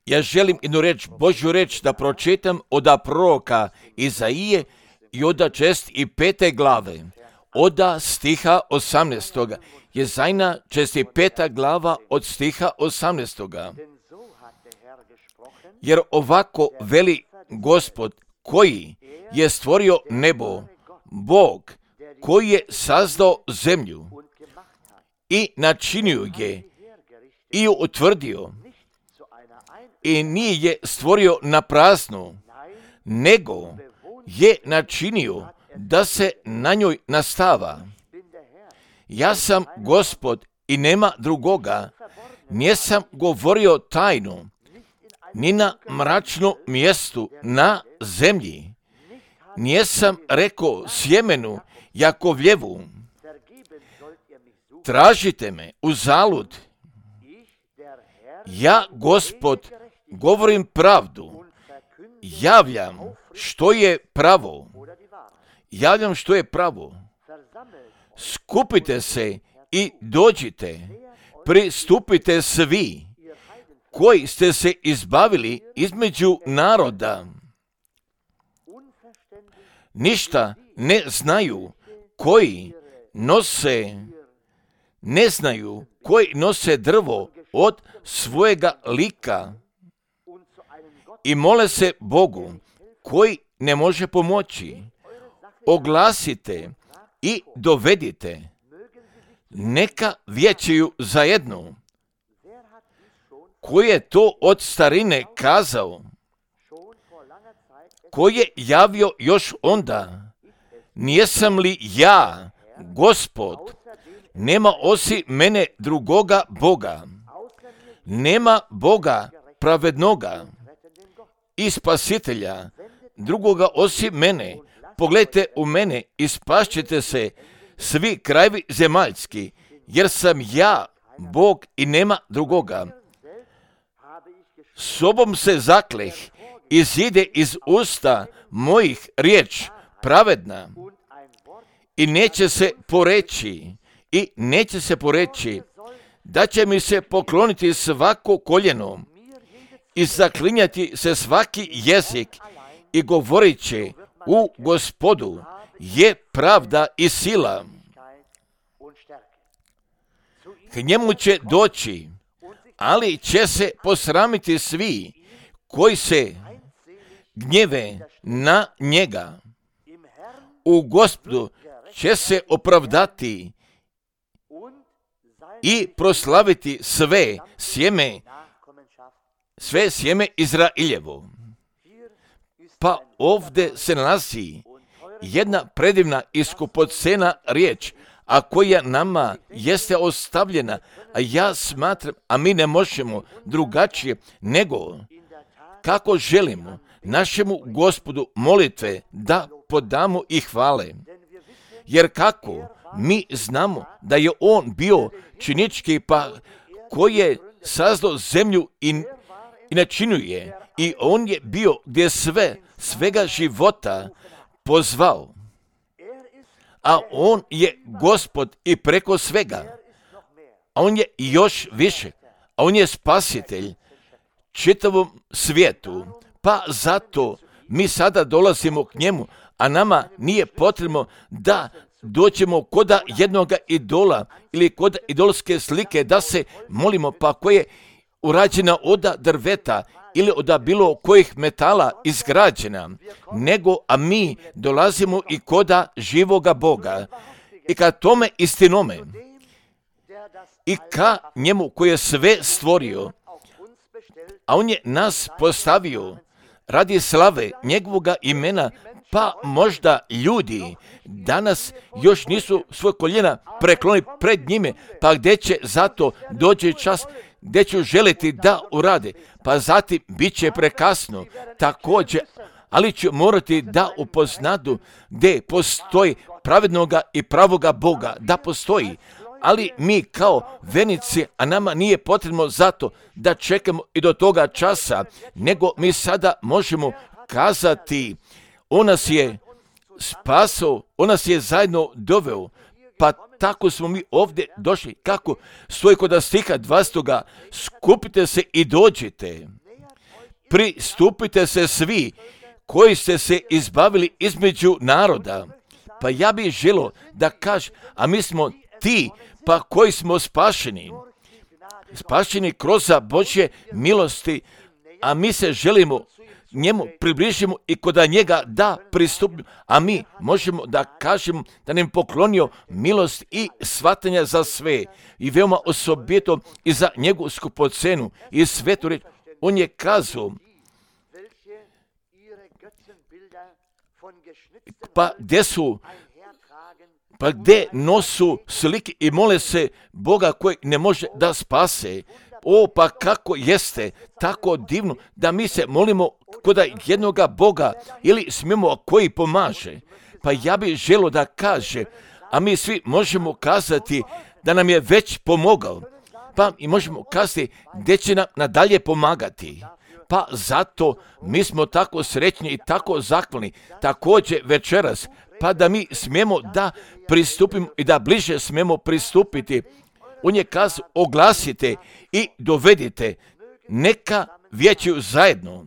Ja želim jednu reč, Božju reč da pročitam od proroka Izaije i od 65. glave, od stiha 18. Jezajna 65. glava od stiha 18. Jer ovako veli Gospod koji je stvorio nebo, Bog koji je sazdao zemlju i načinio je i ju utvrdio i nije je stvorio na praznu, nego je načinio da se na njoj nastava. Ja sam Gospod i nema drugoga, nisam govorio tajnu, ni na mračnom mjestu na zemlji. Nisam rekao sjemenu Jakovljevu, tražite me uzalud. Ja, Gospod, govorim pravdu, javljam što je pravo. Javljam što je pravo. Skupite se i dođite, pristupite svi koji ste se izbavili između naroda. Ništa ne znaju koji nose drvo od svojega lika i mole se Bogu koji ne može pomoći. Oglasite i dovedite, neka vijećaju zajedno. Ko je to od starine kazao? Ko je javio još onda? Nijesam li ja, Gospod? Nema osim mene drugoga Boga. Nema Boga pravednoga i spasitelja drugoga osim mene. Pogledajte u mene i spašćete se svi krajevi zemaljski, jer sam ja Bog i nema drugoga. Sobom se zakleh, izide iz usta mojih riječ pravedna i neće se poreći da će mi se pokloniti svako koljeno i zaklinjati se svaki jezik i govorit će u Gospodu je pravda i sila. K njemu će doći, ali će se posramiti svi koji se gnjeve na njega. U Gospodu će se opravdati i proslaviti sve sjeme Izrailjevo. Pa ovdje se nalazi jedna predivna i skupocena riječ, a koja nama jeste ostavljena, a ja smatram, a mi ne možemo drugačije nego kako želimo našemu Gospodu molitve da podamo i hvale. Jer kako mi znamo da je on bio činički, pa koji je sazdao zemlju i načinuje, i on je bio gdje svega života pozvao. A on je Gospod i preko svega. A on je još više. A on je spasitelj čitavom svijetu. Pa zato mi sada dolazimo k njemu, a nama nije potrebno da dođemo kod jednoga idola ili kod idolske slike da se molimo, pa koja je urađena od drveta ili od bilo kojih metala izgrađena, nego a mi dolazimo i koda živoga Boga i ka tome istinome i ka njemu koji je sve stvorio, a on je nas postavio radi slave njegovoga imena. Pa možda ljudi danas još nisu svoje koljena preklonili pred njime, pa gdje će zato doći čas gdje ću želiti da urade, pa zatim bit će prekasno također, ali ću morati da upoznadu gdje postoji pravednoga i pravoga Boga, da postoji, ali mi kao vernici, a nama nije potrebno zato da čekamo i do toga časa, nego mi sada možemo kazati, on nas je spasao, on nas je zajedno doveo, pa tako smo mi ovdje došli. Kako stoji kod stiha 20. Skupite se i dođite. Pristupite se svi koji ste se izbavili između naroda. Pa ja bih želio da kažem, a mi smo ti pa koji smo spašeni. Spašeni kroz Božje milosti, a mi se želimo njemu približimo i kod njega da pristupimo, a mi možemo da kažemo da nam poklonio milost i shvatanja za sve i veoma osobito i za njegovu skupocenu i svetu reč. On je kazao, pa gdje nosu slike i mole se Boga koji ne može da spase. O, pa kako jeste tako divno da mi se molimo kod jednoga Boga ili smijemo koji pomaže. Pa ja bih želio da kaže, a mi svi možemo kazati da nam je već pomogao. Pa i možemo kazati gdje će nam nadalje pomagati. Pa zato mi smo tako srećni i tako zahvalni također večeras, pa da mi smijemo da pristupimo i da bliže smijemo pristupiti. On je kazao, oglasite i dovedite, neka vijećaju zajedno.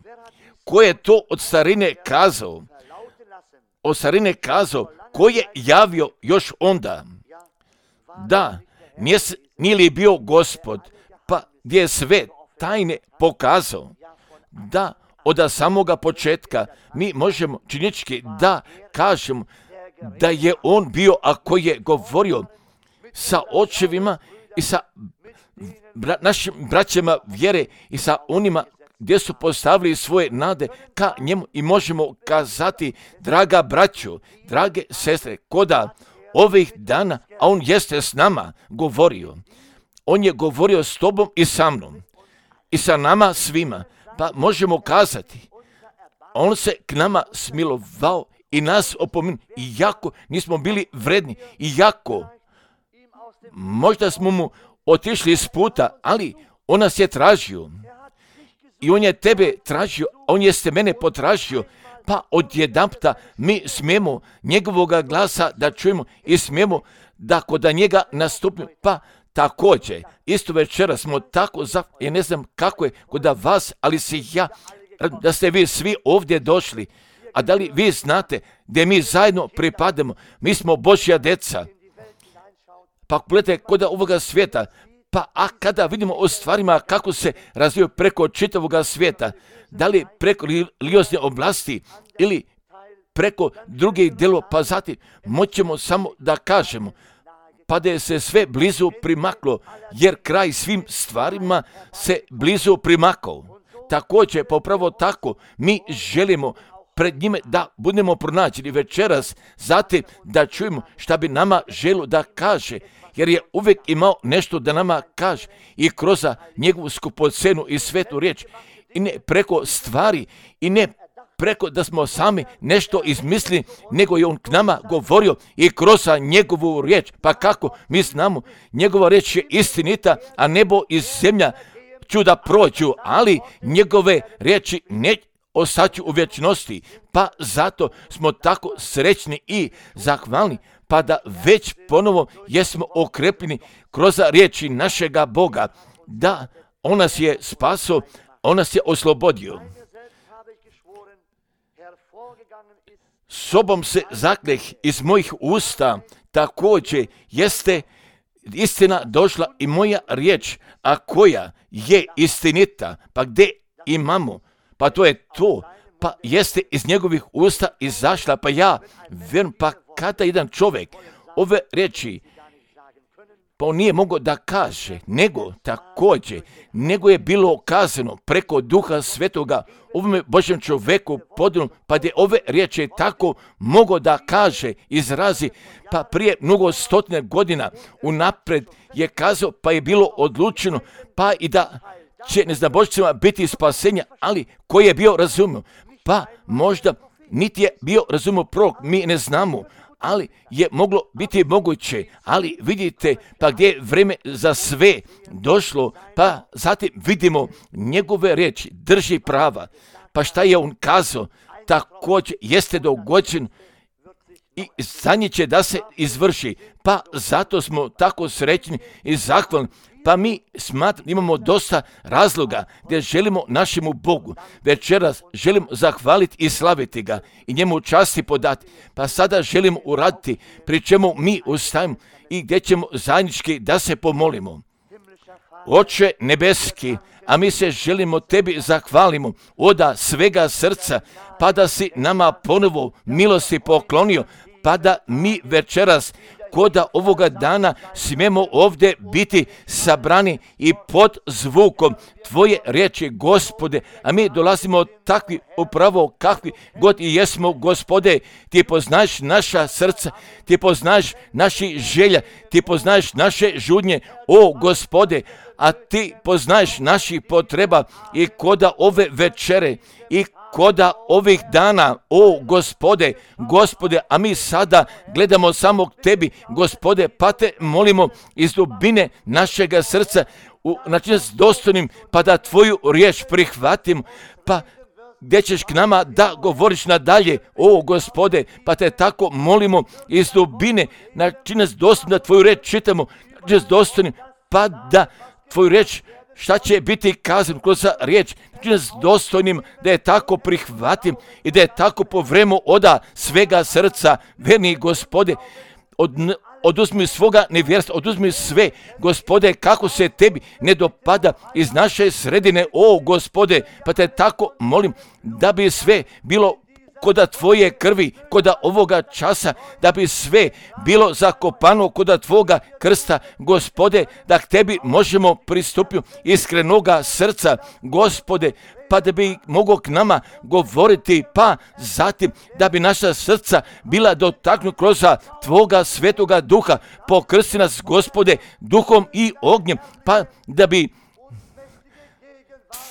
Ko je to od starine kazao? Od starine kazao, ko je javio još onda? Da, nije li bio Gospod, pa gdje je sve tajne pokazao? Da, od samoga početka mi možemo činjenički da kažemo da je on bio, ako je govorio sa očevima i sa našim braćama vjere i sa onima gdje su postavili svoje nade ka njemu i možemo kazati, draga braćo, drage sestre, koda ovih dana, a on jeste s nama govorio. On je govorio s tobom i sa mnom i sa nama svima. Pa možemo kazati, on se k nama smilovao i nas opomenuo, iako nismo bili vredni, iako možda smo mu otišli iz puta, ali on nas je tražio. I on je tebe tražio, a on jeste mene potražio, pa odjedanputa mi smijemo njegovoga glasa da čujemo i smijemo da kod njega nastupimo. Pa također, isto večera smo tako ja ne znam kako je kod vas, ali se ja, da ste vi svi ovdje došli, a da li vi znate da mi zajedno pripadamo, mi smo Božja deca. Pa gledajte kod ovoga svijeta, pa a kada vidimo o stvarima kako se razvijaju preko čitavoga svijeta, da li preko religiozne oblasti ili preko drugih dijelova, pa zatim moćemo samo da kažemo, pa da je se sve blizu primaklo, jer kraj svim stvarima se blizu primakao. Također, popravo tako, mi želimo pred njime da budemo pronađeni večeras, zatim da čujemo šta bi nama želio da kaže, jer je uvijek imao nešto da nama kaže i kroz njegovu skupocenu i svetu riječ, i ne preko stvari, i ne preko da smo sami nešto izmislili, nego je on k nama govorio i kroz njegovu riječ. Pa kako mi znamo, njegova riječ je istinita, a nebo i zemlja ću da prođu, ali njegove riječi ne ostaću u vječnosti. Pa zato smo tako srećni i zahvalni, pa da već ponovo jesmo okrepljeni kroz riječi našega Boga, da on nas je spasao, on nas je oslobodio. Sobom se zakleh iz mojih usta, također jeste istina došla i moja riječ, a koja je istinita. Pa gdje imamo? Pa to je to. Pa jeste iz njegovih usta izašla, pa ja vjerujem, pa kada jedan čovjek ove riječi, pa on nije mogao da kaže, nego također, nego je bilo kazano preko Duha Svetoga ovome Božjem čovjeku podijelu, pa da je ove riječi tako mogao da kaže, izrazi, pa prije mnogo stotine godina unaprijed je kazao, pa je bilo odlučeno, pa i da će neznabošcima biti spasenja, ali koji je bio razumio, pa možda niti je bio razumio prorok, mi ne znamo, ali je moglo biti moguće, ali vidite, pa gdje je vrijeme za sve došlo, pa zatim vidimo njegove riječi, drži prava, pa šta je on kazao, također jeste dogođen i za njih će da se izvrši. Pa zato smo tako srećni i zahvalni. Pa mi imamo dosta razloga gdje želimo našemu Bogu večeras želimo zahvaliti i slaviti ga i njemu časti podati. Pa sada želimo uraditi pri čemu mi ustajemo i gdje ćemo zajednički da se pomolimo. Oče nebeski, a mi se želimo tebi zahvalimo od svega srca, pa da si nama ponovo milosti poklonio, pa da mi večeras koda ovoga dana smijemo ovdje biti sabrani i pod zvukom Tvoje riječi, Gospode, a mi dolazimo takvi upravo kakvi god i jesmo, Gospode, Ti poznaješ naša srca, Ti poznaješ naši želja, Ti poznaješ naše žudnje, o Gospode, a Ti poznaješ naših potreba i koda ove večere i koda ovih dana, o Gospode, a mi sada gledamo samo k Tebi, Gospode, pa Te molimo iz dubine našega srca, znači nas dostojnim, pa da Tvoju riječ prihvatim, pa gdje ćeš k nama da govoriš nadalje, o Gospode, pa Te tako molimo iz dubine, znači nas dostojnim da Tvoju riječ čitamo, znači nas dostojnim, pa da Tvoju riječ šta će biti kazano kroz riječ, znači nas dostojnim da je tako prihvatim i da je tako povremo oda svega srca, verni Gospode, oduzmi svoga nevjerstva, oduzmi sve, Gospode, kako se Tebi ne dopada iz naše sredine, o Gospode, pa Te tako molim da bi sve bilo koda Tvoje krvi, koda ovoga časa, da bi sve bilo zakopano koda Tvoga krsta, Gospode, da k Tebi možemo pristupiti iskrenoga srca, Gospode, pa da bi mogao k nama govoriti, pa zatim da bi naša srca bila dotaknuta kroz Tvoga svetoga duha, pokrsti nas, Gospode, duhom i ognjem, pa da bi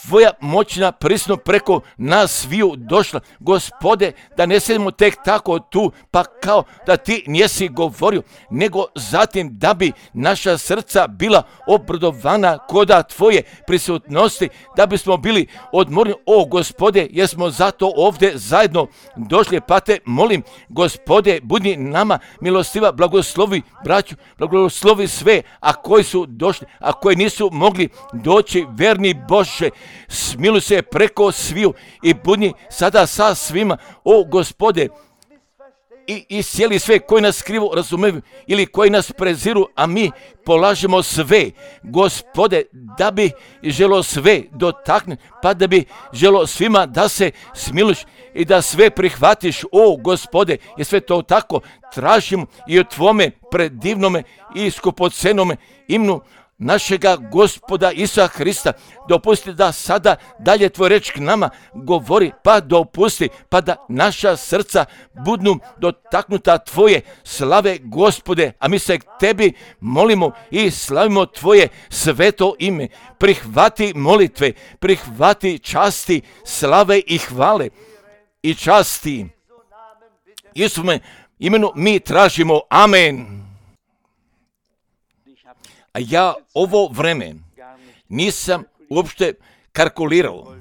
Tvoja moćna prisno preko nas sviju došla, Gospode, da ne sedimo tek tako tu, pa kao da Ti nisi govorio, nego zatim da bi naša srca bila obradovana koda Tvoje prisutnosti, da bismo bili odmorni, o Gospode, jer smo zato ovdje zajedno došli, pa Te molim, Gospode, budi nama milostiva, blagoslovi braću, blagoslovi sve, a koji su došli, a koji nisu mogli doći, verni Bože, smiluj se preko sviju i budi sada sa svima, o Gospode, i iscijeli sve koji nas krivo razumiju ili koji nas preziru, a mi polažemo sve, Gospode, da bi želo sve dotakne, pa da bi želo svima da se smiluš i da sve prihvatiš, o Gospode, jer sve to tako tražimo i od Tvome predivnome i skupocenome imenu našega Gospoda Isusa Hrista. Dopusti da sada dalje Tvoj reč k nama govori, pa dopusti, pa da naša srca budnu dotaknuta Tvoje slave, Gospode, a mi se k Tebi molimo i slavimo Tvoje sveto ime. Prihvati molitve, prihvati časti, slave i hvale i časti. Isume imenu mi tražimo, amen. A ja ovo vreme nisam uopšte kalkulirao,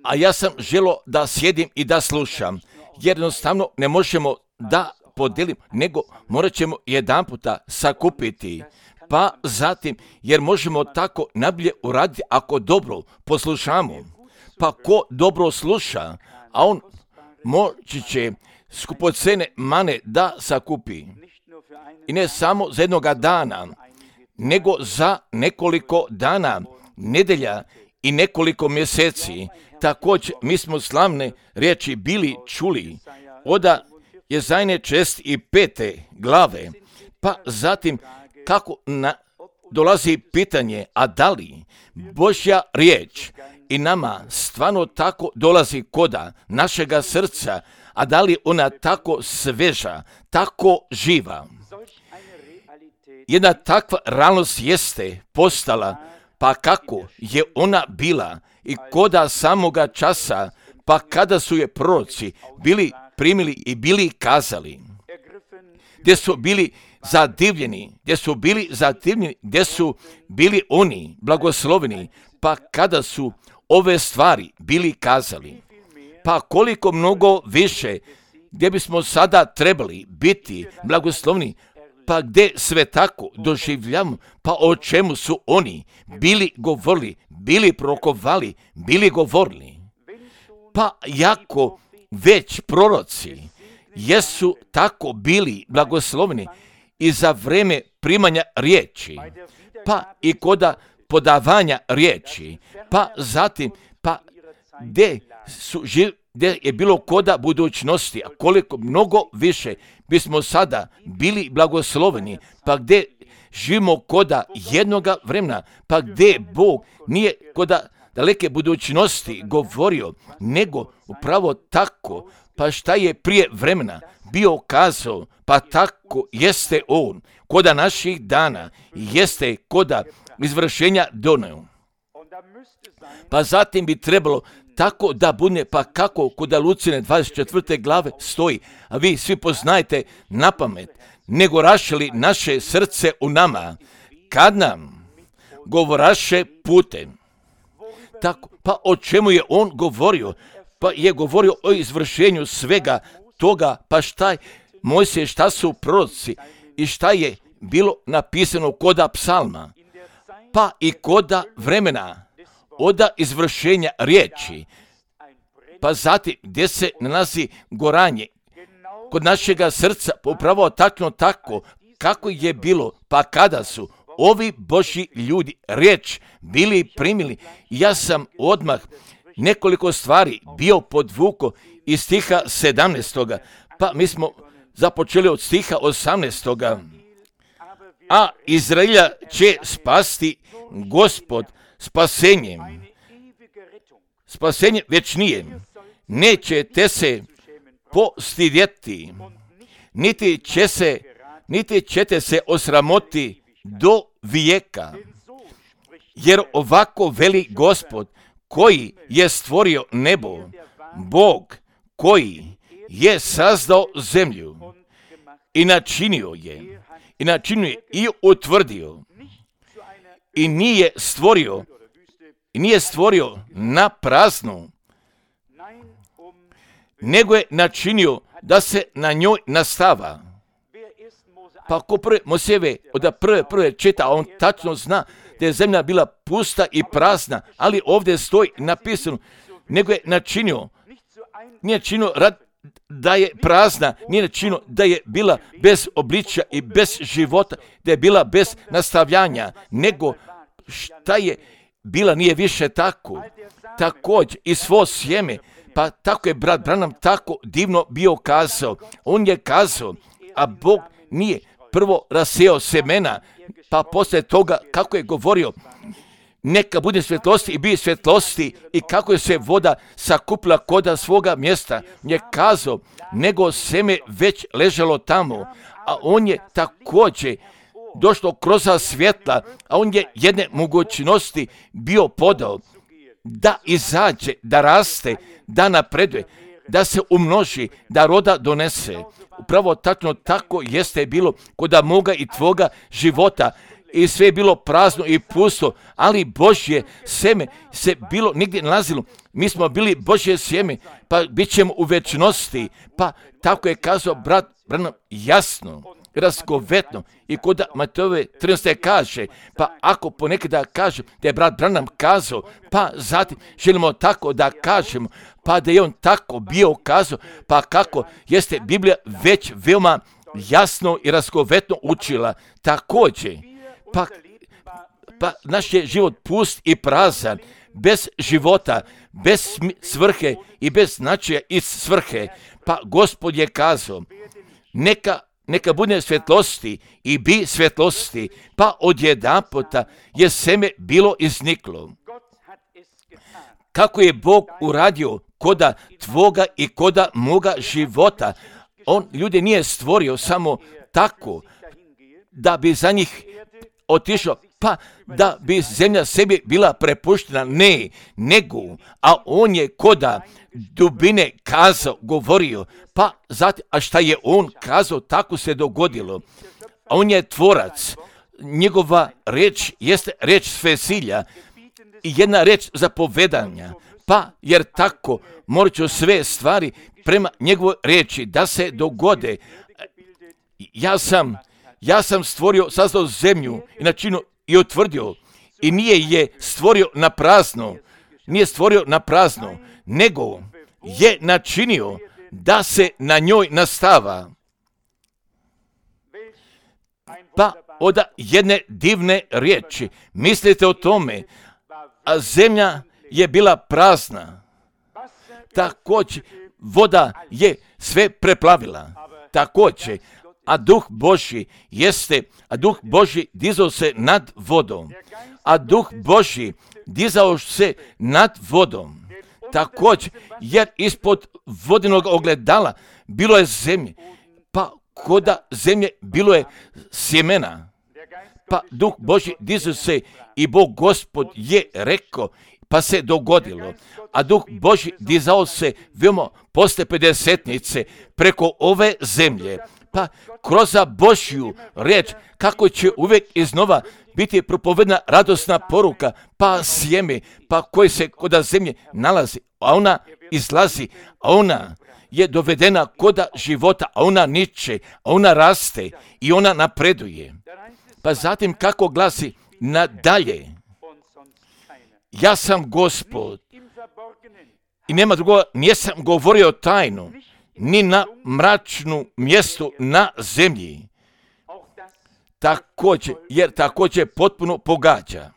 a ja sam želio da sjedim i da slušam, jer jednostavno ne možemo da podijelimo, nego morat ćemo jedan puta sakupiti, pa zatim, jer možemo tako najbolje uraditi ako dobro poslušamo, pa ko dobro sluša, a on moći će skupocene mane da sakupi. I ne samo za jednoga dana, nego za nekoliko dana, nedelja i nekoliko mjeseci. Također mi smo slavne riječi bili čuli od Jezajne 65. glave, pa zatim kako dolazi pitanje, a da li Božja riječ i nama stvarno tako dolazi koda našega srca, a da li ona tako sveža, tako živa. Jedna takva realnost jeste postala, pa kako je ona bila i koda samoga časa, pa kada su je proroci bili primili i bili kazali, gdje su bili zadivljeni, gdje su bili oni blagosloveni, pa kada su ove stvari bili kazali, pa koliko mnogo više gdje bismo sada trebali biti blagoslovni, pa gdje sve tako doživljamo, pa o čemu su oni bili govorili, bili prorokovali, bili govorili. Pa jako već proroci jesu tako bili blagoslovni i za vreme primanja riječi, pa i koda podavanja riječi, pa zatim, pa gdje je bilo koda budućnosti, a koliko mnogo više bismo sada bili blagosloveni, pa gdje živimo koda jednoga vremena, pa gdje Bog nije koda daleke budućnosti govorio, nego upravo tako, pa šta je prije vremena bio kazao, pa tako jeste on, koda naših dana, jeste koda izvršenja doneo. Pa zatim bi trebalo tako da bude, pa kako koda Lucine 24. glave stoji, a vi svi poznajete na pamet, nego rašili naše srce u nama, kad nam govoraše putem. Tako, pa o čemu je on govorio? Pa je govorio o izvršenju svega toga, pa šta je Mojsije, šta su proroci i šta je bilo napisano koda psalma, pa i koda vremena, oda izvršenja riječi, pa zatim gdje se nalazi goranje kod našega srca, upravo tako kako je bilo, pa kada su ovi Božji ljudi riječ bili primili. Ja sam odmah nekoliko stvari bio podvuko iz stiha 17. Pa mi smo započeli od stiha 18. A Izraelja će spasti Gospod spasenjem večnije. Nećete se postidjeti, niti ćete se osramoti do vijeka. Jer ovako veli Gospod, koji je stvorio nebo, Bog koji je sazdao zemlju i načinio je i utvrdio, i nije stvorio na praznu, nego je načinio da se na njoj nastava. Pa ako Mojsijeve od prve čita, on tačno zna da je zemlja bila pusta i prazna, ali ovdje stoji napisano, nego je načinio, nije činio da je prazna, nije načinio da je bila bez obličja i bez života, da je bila bez nastavljanja, nego šta je bila nije više tako. Također i svo sjeme, pa tako je brat Branham tako divno bio kazao. On je kazao, a Bog nije prvo rasijao semena, pa poslije toga kako je govorio, neka bude svjetlosti i bi svjetlosti, i kako je se voda sakupila koda svoga mjesta, je kazao, nego seme već ležalo tamo, a on je također došlo kroz svjetla, a on je jedne mogućnosti bio podao, da izađe, da raste, da napreduje, da se umnoži, da roda donese. Upravo tako jeste bilo kod moga i tvoga života, i sve je bilo prazno i pusto, ali Božje sjeme se bilo nigdje nalazilo. Mi smo bili Božje sjeme, pa bit ćemo u večnosti. Pa tako je kazao brat Branham jasno, razgovetno, i kod Matejove 13. kaže, pa ako ponekada kaže da je brat Branham kazao, pa zatim želimo tako da kažemo, pa da je on tako bio kazao, pa kako jeste Biblija već veoma jasno i razgovetno učila. Također, pa naš je život pust i prazan, bez života, bez svrhe i bez značaja iz svrhe. Pa Gospod je kazao, neka bude svjetlosti i bi svjetlosti, pa odjedanputa je seme bilo izniklo. Kako je Bog uradio koda tvoga i koda moga života, on ljude nije stvorio samo tako da bi za njih otišao, pa da bi zemlja sebi bila prepuštena, ne, nego, a on je koda dubine kazao, govorio, pa zatim, a šta je on kazao, tako se dogodilo. A on je tvorac, njegova reč jeste reč svesilja, i jedna reč zapovedanja. Pa jer tako morat ću sve stvari prema njegovoj riječi da se dogode. Ja sam stvorio, sazdao zemlju i načinio i utvrdio i nije je stvorio na prazno. Nije stvorio na prazno, nego je načinio da se na njoj nastava. Pa od jedne divne riječi, mislite o tome, a zemlja je bila prazna. Također, voda je sve preplavila. Također, a Duh Božji dizao se nad vodom. A Duh Božji dizao se nad vodom. Također, jer ispod vodenog ogledala bilo je zemlje, pa koda zemlje bilo je sjemena. Pa Duh Božji dizao se i Bog Gospod je rekao, pa se dogodilo. A Duh Božji dizao se veoma posle pedesetnice preko ove zemlje. Pa kroz Božju riječ, kako će uvijek iznova biti propovedna radosna poruka, pa sjeme, pa koje se kod zemlje nalazi, a ona izlazi, a ona je dovedena kod života, a ona niče, a ona raste i ona napreduje. Pa zatim kako glasi nadalje, ja sam Gospod i nema drugoga, nisam govorio tajnu, ni na mračnu mjestu na zemlji. Također, jer također potpuno pogađa.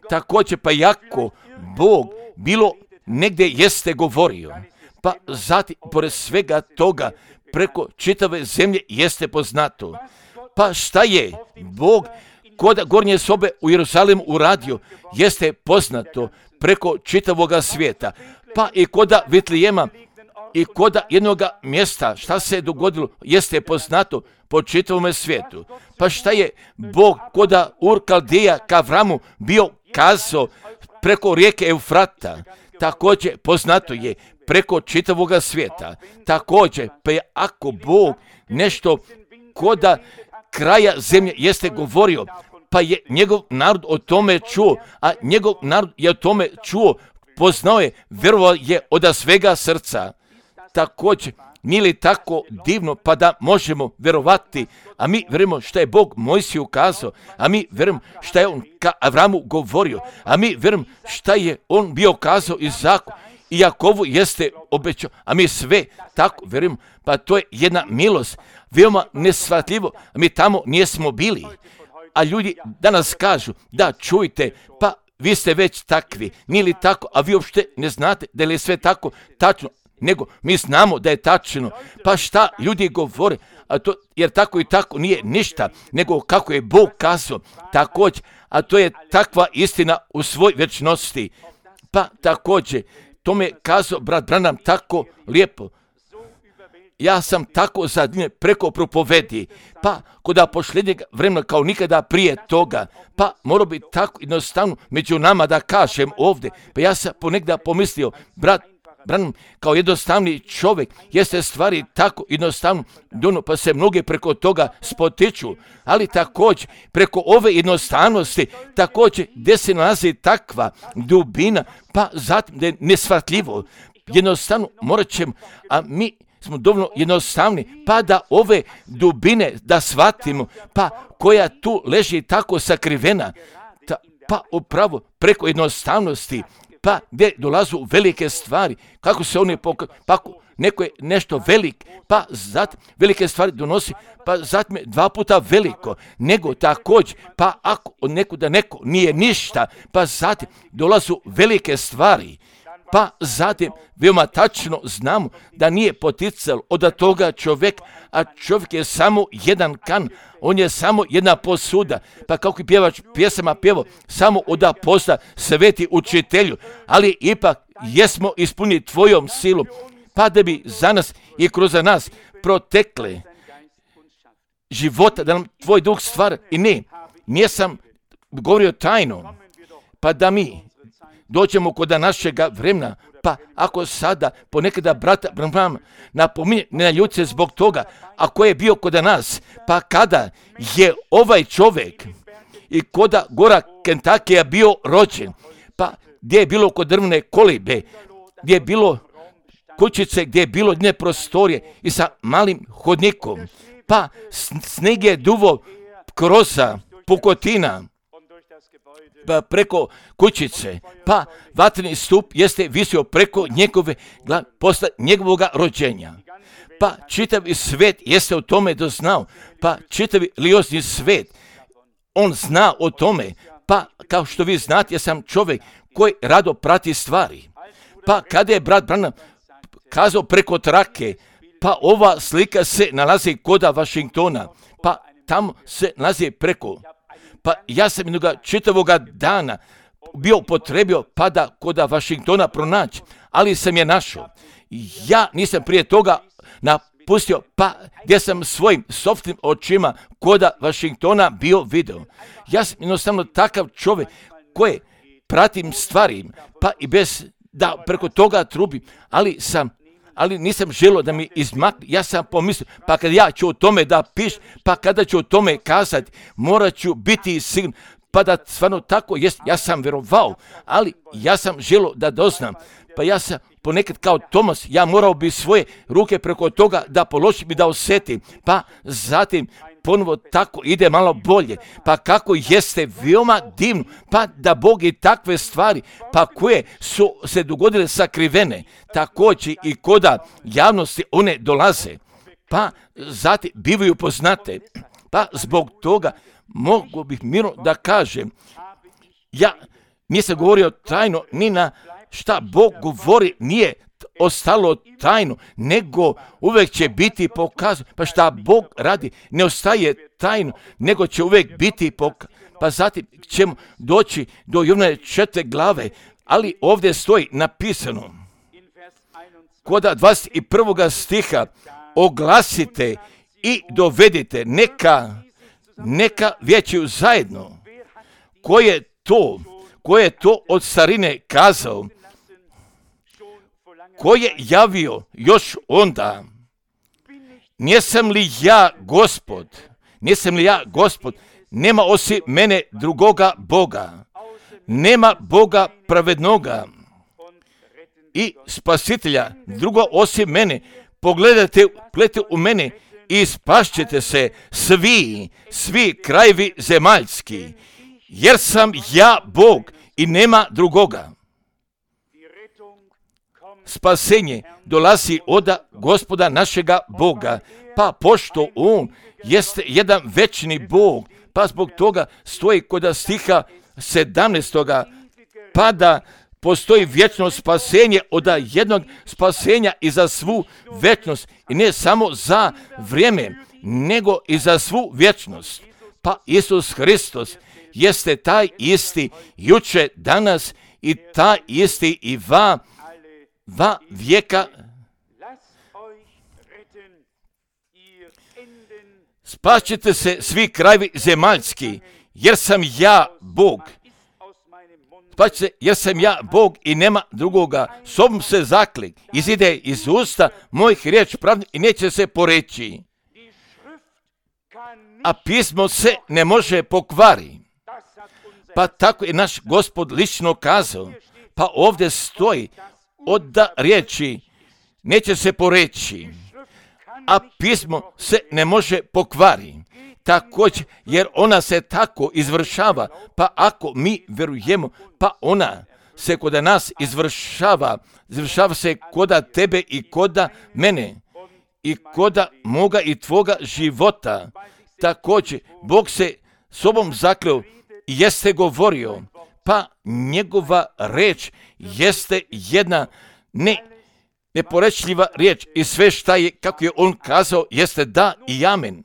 Također, pa jako Bog bilo negdje jeste govorio, pa zatim, pored svega toga, preko čitave zemlje jeste poznato. Pa šta je Bog kod gornje sobe u Jerusalimu uradio, jeste poznato preko čitavoga svijeta. Pa i koda Vitlijema i koda jednoga mjesta, šta se je dogodilo, jeste poznato po čitavome svijetu. Pa šta je Bog koda Ur-Kaldeja ka Avramu bio kazao preko rijeke Eufrata, također poznato je preko čitavoga svijeta. Također, pa je ako Bog nešto koda kraja zemlje jeste govorio, pa je njegov narod o tome čuo, a njegov narod je o tome čuo, poznao je, vjerovao je od svega srca. Također, nije li tako divno pa da možemo vjerovati, a mi vjerujemo što je Bog Mojsiju ukazao, a mi vjerujemo što je on ka Avramu govorio, a mi vjerujemo što je on bio kazao Izaku i Jakovu jeste obećao, a mi sve tako vjerujemo, pa to je jedna milost, veoma neshvatljivo, a mi tamo nismo bili. A ljudi danas kažu, da čujte, pa vi ste već takvi, nije li tako, a vi uopšte ne znate da li je sve tako tačno, nego mi znamo da je tačno. Pa šta ljudi govore, a to, jer tako i tako nije ništa, nego kako je Bog kazao, također, a to je takva istina u svoj vječnosti. Pa također, to me kazao brat Branham tako lijepo. Ja sam tako zadnje preko propovedi, pa kod posljednjeg vremena kao nikada prije toga, pa mora biti tako jednostavno među nama da kažem ovdje. Pa ja sam ponekda pomislio, brat Branham kao jednostavni čovjek, jeste stvari tako jednostavno, pa se mnogi preko toga spotiču, ali također preko ove jednostavnosti, također gdje se nalazi takva dubina, pa zatim da je neshvatljivo, jednostavno morat ćemo, a mi smo dovoljno jednostavni, pa da ove dubine da shvatimo, pa koja tu leži tako sakrivena, pa upravo preko jednostavnosti, pa gdje dolazu velike stvari, kako se oni pa neko je nešto velik, pa zatim velike stvari donosi, pa zatim je 2 puta veliko, nego također, pa ako od nekuda neko nije ništa, pa zatim dolazu velike stvari, pa zatim veoma tačno znamo da nije poticalo od toga čovjek, a čovjek je samo jedan kan, on je samo jedna posuda, pa kako i pjevač pjesama pjevo, samo od posta sveti učitelju, ali ipak jesmo ispunili tvojom silom, pa da bi za nas i kroz nas protekle života, da nam tvoj duh stvara i nisam govorio tajno, pa da mi dođemo kod našega vremena, pa ako sada ponekada brata Branham napominje, ne naljut se zbog toga, ako je bio kod nas, pa kada je ovaj čovjek i kod gora Kentakija bio rođen, pa gdje je bilo kod drvne kolibe, gdje je bilo kućice, gdje je bilo jedne prostorije i sa malim hodnikom, pa sneg je duvo kroza pukotina, pa preko kućice, pa vatreni stup jeste visio preko njegove posle njegovoga rođenja. Pa čitavi svet jeste o tome doznao, pa čitavi religiozni svet, on zna o tome, pa kao što vi znate, ja sam čovjek koji rado prati stvari. Pa kada je brat Branham kazao preko trake, pa ova slika se nalazi koda Washingtona, pa tamo se nalazi preko. Pa ja sam jednoga čitavoga dana bio potrebio pa da koda Washingtona pronaći, ali sam je našao. Ja nisam prije toga napustio, pa gdje sam svojim sopstvenim očima koda Washingtona bio video. Ja sam jednostavno takav čovjek koji pratim stvari, pa i bez da preko toga trubim, ali nisam želio da mi izmakne. Ja sam pomislio, pa kad ja ću o tome da pišem, pa kada ću o tome kazati, morat ću biti siguran, pa da stvarno tako jest. Ja sam vjerovao, ali ja sam želio da doznam, pa ja sam ponekad kao Tomas, ja morao bi svoje ruke preko toga da položim i da osjetim, pa zatim ponovo tako ide malo bolje, pa kako jeste veoma divno, pa da Bog i takve stvari, pa koje su se dogodile sakrivene, također i koda javnosti one dolaze, pa zatim bivaju poznate, pa zbog toga mogu bih mirno da kažem, ja nisam govorio tajno ni na šta Bog govori, nije ostalo tajno, nego uvijek će biti pokazano. Pa šta Bog radi, ne ostaje tajno, nego će uvijek biti pokazano. Pa zatim ćemo doći do Jovane 4. glave, ali ovdje stoji napisano, koda 21. stiha, oglasite i dovedite, neka vijećaju zajedno. Ko je to od starine kazao, ko je javio još onda, nisam li ja gospod, nema osim mene drugoga Boga, nema Boga pravednoga i spasitelja drugo osim mene, pogledajte u mene i spašćete se svi krajevi zemaljski, jer sam ja Bog i nema drugoga. Spasenje dolazi od Gospoda našega Boga, pa pošto On jeste jedan večni Bog, pa zbog toga stoji kod stiha 17. pa da postoji vječno spasenje od jednog spasenja i za svu večnost, i ne samo za vrijeme, nego i za svu vječnost. Pa Isus Hristos jeste taj isti juče, danas i taj isti i va vijeka. Spašćete se svi krajevi zemaljski, jer sam ja Bog. Spašćete se, jer sam ja Bog i nema drugoga. Sobom se zaklik, izide iz usta mojih riječ pravdi i neće se poreći. A pismo se ne može pokvari. Pa tako je naš Gospod lično kazao. Pa ovdje stoji od riječi neće se poreći, a pismo se ne može pokvari. Također, jer ona se tako izvršava, pa ako mi vjerujemo, pa ona se kod nas izvršava se koda tebe i koda mene i koda moga i tvoga života. Također, Bog se sobom zakleo i jeste govorio, pa njegova reč jeste jedna neporečljiva riječ i sve šta je, kako je on kazao, jeste da i amen.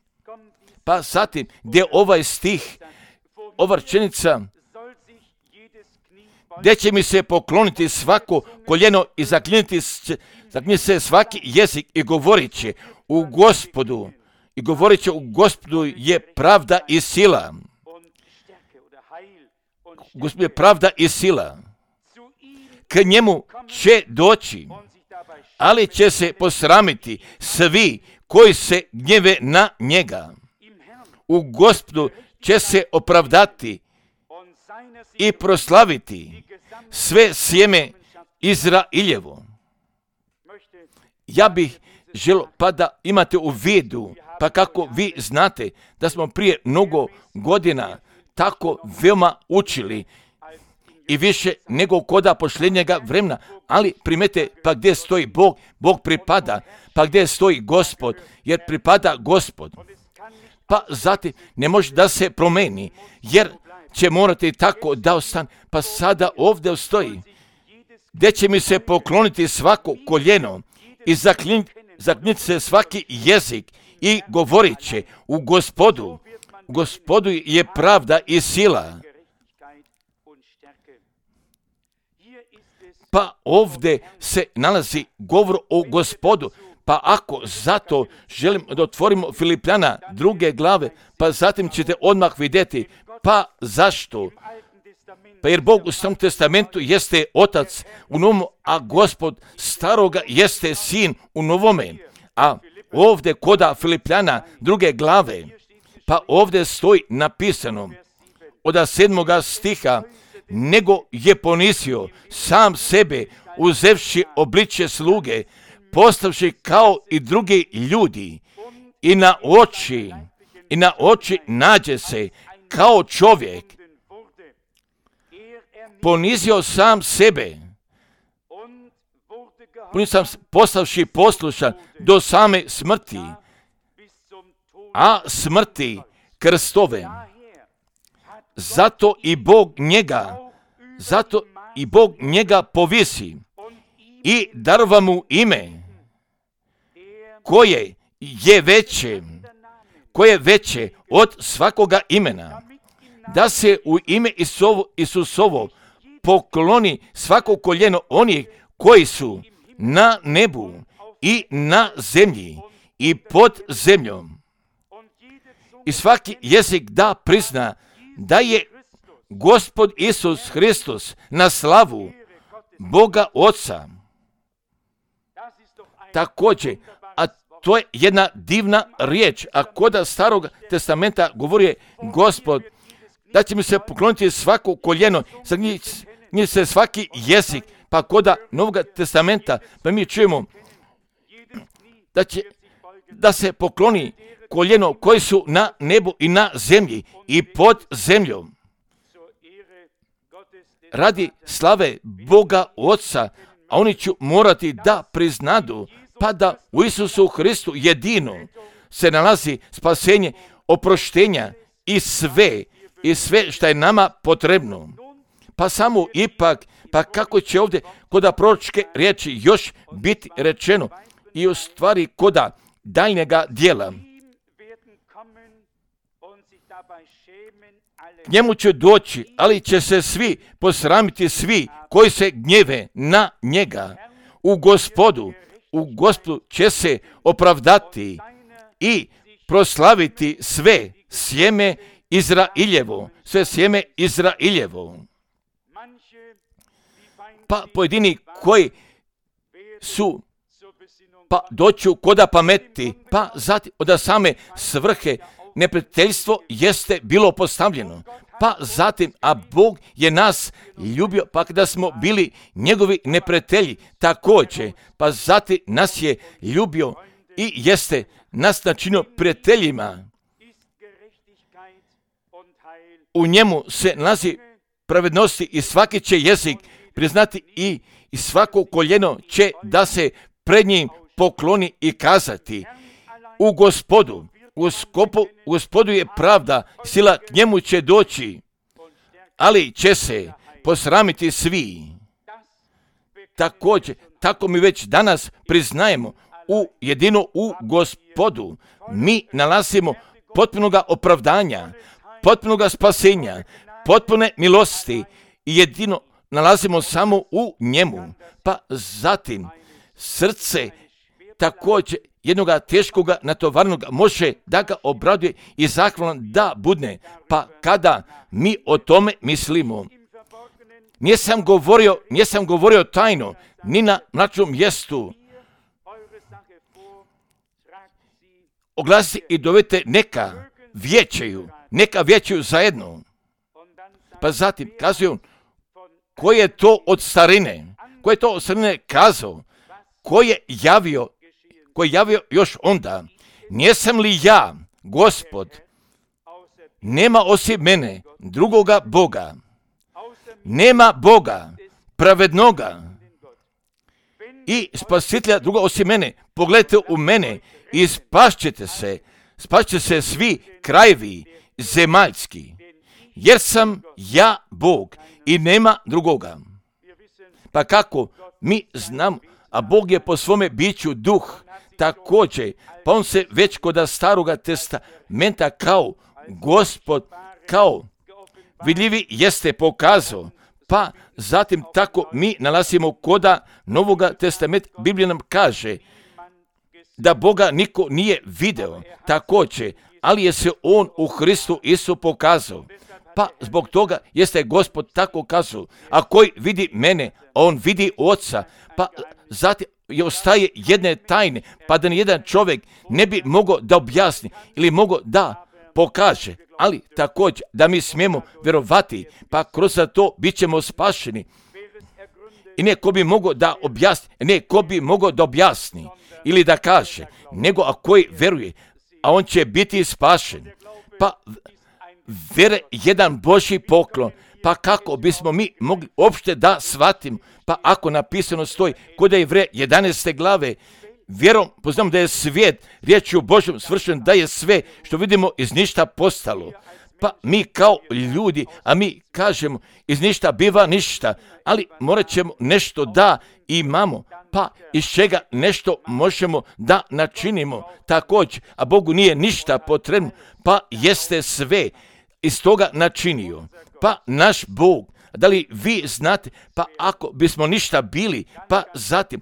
Pa zatim, gdje ovaj stih, ova rečenica, gdje će mi se pokloniti svako koljeno i zakliniti se svaki jezik i govorit će u Gospodu, je pravda i sila. Gospod je pravda i sila. K njemu će doći, ali će se posramiti svi koji se gnjeve na njega. U Gospodu će se opravdati i proslaviti sve sjeme Izrailjevo. Ja bih želio pa da imate u vidu, pa kako vi znate da smo prije mnogo godina tako veoma učili i više nego koda posljednjega vremena, ali primete pa gdje stoji Bog, Bog pripada, pa gdje stoji Gospod, jer pripada Gospod. Pa zatim ne može da se promeni, jer će morati tako da ostane, pa sada ovdje stoji, gdje će mi se pokloniti svako koljeno i zakliniti se svaki jezik i govorit će u Gospodu je pravda i sila. Pa ovdje se nalazi govor o Gospodu, pa ako zato želim da otvorimo Filipljana 2. glave, pa zatim ćete odmah vidjeti, pa zašto? Pa jer Bog u Starom testamentu jeste Otac u Novom, a Gospod staroga jeste Sin u Novome. A ovdje koda Filipljana 2. glave, pa ovdje stoji napisano od 7. stiha, nego je ponizio sam sebe uzevši obličje sluge, postavši kao i drugi ljudi i na oči nađe se kao čovjek. Ponizio sam sebe, postavši poslušan do same smrti, a smrti krstove. Zato i Bog njega povisi i darova mu ime koje je veće od svakoga imena, da se u ime Isusovo pokloni svako koljeno onih koji su na nebu i na zemlji i pod zemljom. I svaki jezik da prizna da je Gospod Isus Hristos na slavu Boga Oca. Također, a to je jedna divna riječ, a koda Starog testamenta govori je Gospod, da će mi se pokloniti svako koljeno, za njih se svaki jezik, pa koda Novog testamenta, pa mi čujemo da se pokloni koljeno koji su na nebu i na zemlji i pod zemljom. Radi slave Boga Oca, a oni će morati da priznadu, pa da u Isusu Hristu jedino se nalazi spasenje, oproštenja i sve što je nama potrebno. Pa samo ipak, pa kako će ovdje koda proročke riječi još biti rečeno i u stvari koda daljnjega dijela. K njemu će doći, ali će se svi posramiti, svi koji se gnjeve na njega. U Gospodu će se opravdati i proslaviti sve sjeme Izrailjevo. Pa pojedini koji su pa doću koda pameti, pa zatim od same svrhe neprijateljstvo jeste bilo postavljeno, pa zatim, a Bog je nas ljubio, pa kada smo bili njegovi neprijatelji također, pa zatim nas je ljubio i jeste nas načinio prijateljima. U njemu se nalazi pravednosti i svaki će jezik priznati i svako koljeno će da se pred njim pokloni i kazati u Gospodu je pravda, sila k njemu će doći, ali će se posramiti svi. Također, tako mi već danas priznajemo jedino u Gospodu. Mi nalazimo potpunoga opravdanja, potpunoga spasenja, potpune milosti i jedino nalazimo samo u njemu. Pa zatim srce također jednoga teškoga natovarnoga može da ga obraduje i zahvalan da budne. Pa kada mi o tome mislimo, nisam govorio tajno, ni na mračnom mjestu. Oglasite i dovete neka vijećaju zajedno. Pa zatim kazuju Ko je to od starine? Ko je to od starine kazao? Ko je javio još onda? Nijesam li ja, Gospod? Nema osim mene drugoga Boga. Nema Boga pravednoga i spasitelja druga osim mene. Pogledajte u mene i spašćete se svi krajevi zemaljski, jer sam ja Bog i nema drugoga. Pa kako mi znamo, a Bog je po svome biću duh također, pa on se već kod staroga testamenta kao Gospod, kao vidljivi jeste pokazao, pa zatim tako mi nalazimo koda Novoga testamenta. Biblija nam kaže da Boga niko nije video također, ali je se on u Hristu Isu pokazao. Pa zbog toga jeste Gospod tako kazao, a koji vidi mene, on vidi Oca. Pa zatim je ostaje jedne tajne, pa da nijedan čovjek ne bi mogao da objasni ili mogao da pokaže, ali također da mi smijemo vjerovati, pa kroz to bit ćemo spašeni. I neko bi mogao da objasni, ili da kaže, nego a koji veruje, a on će biti spašen. Pa vjere jedan Božji poklon, pa kako bismo mi mogli uopšte da shvatimo, pa ako napisano stoji kod Jevreja 11. glave, vjerom poznamo da je svijet riječju Božjom svršen, da je sve što vidimo iz ništa postalo. Pa mi kao ljudi, a mi kažemo iz ništa biva ništa, ali morat ćemo nešto da imamo, pa iz čega nešto možemo da načinimo također, a Bogu nije ništa potrebno, pa jeste sve iz toga načinio. Pa naš Bog, da li vi znate, pa ako bismo ništa bili, pa zatim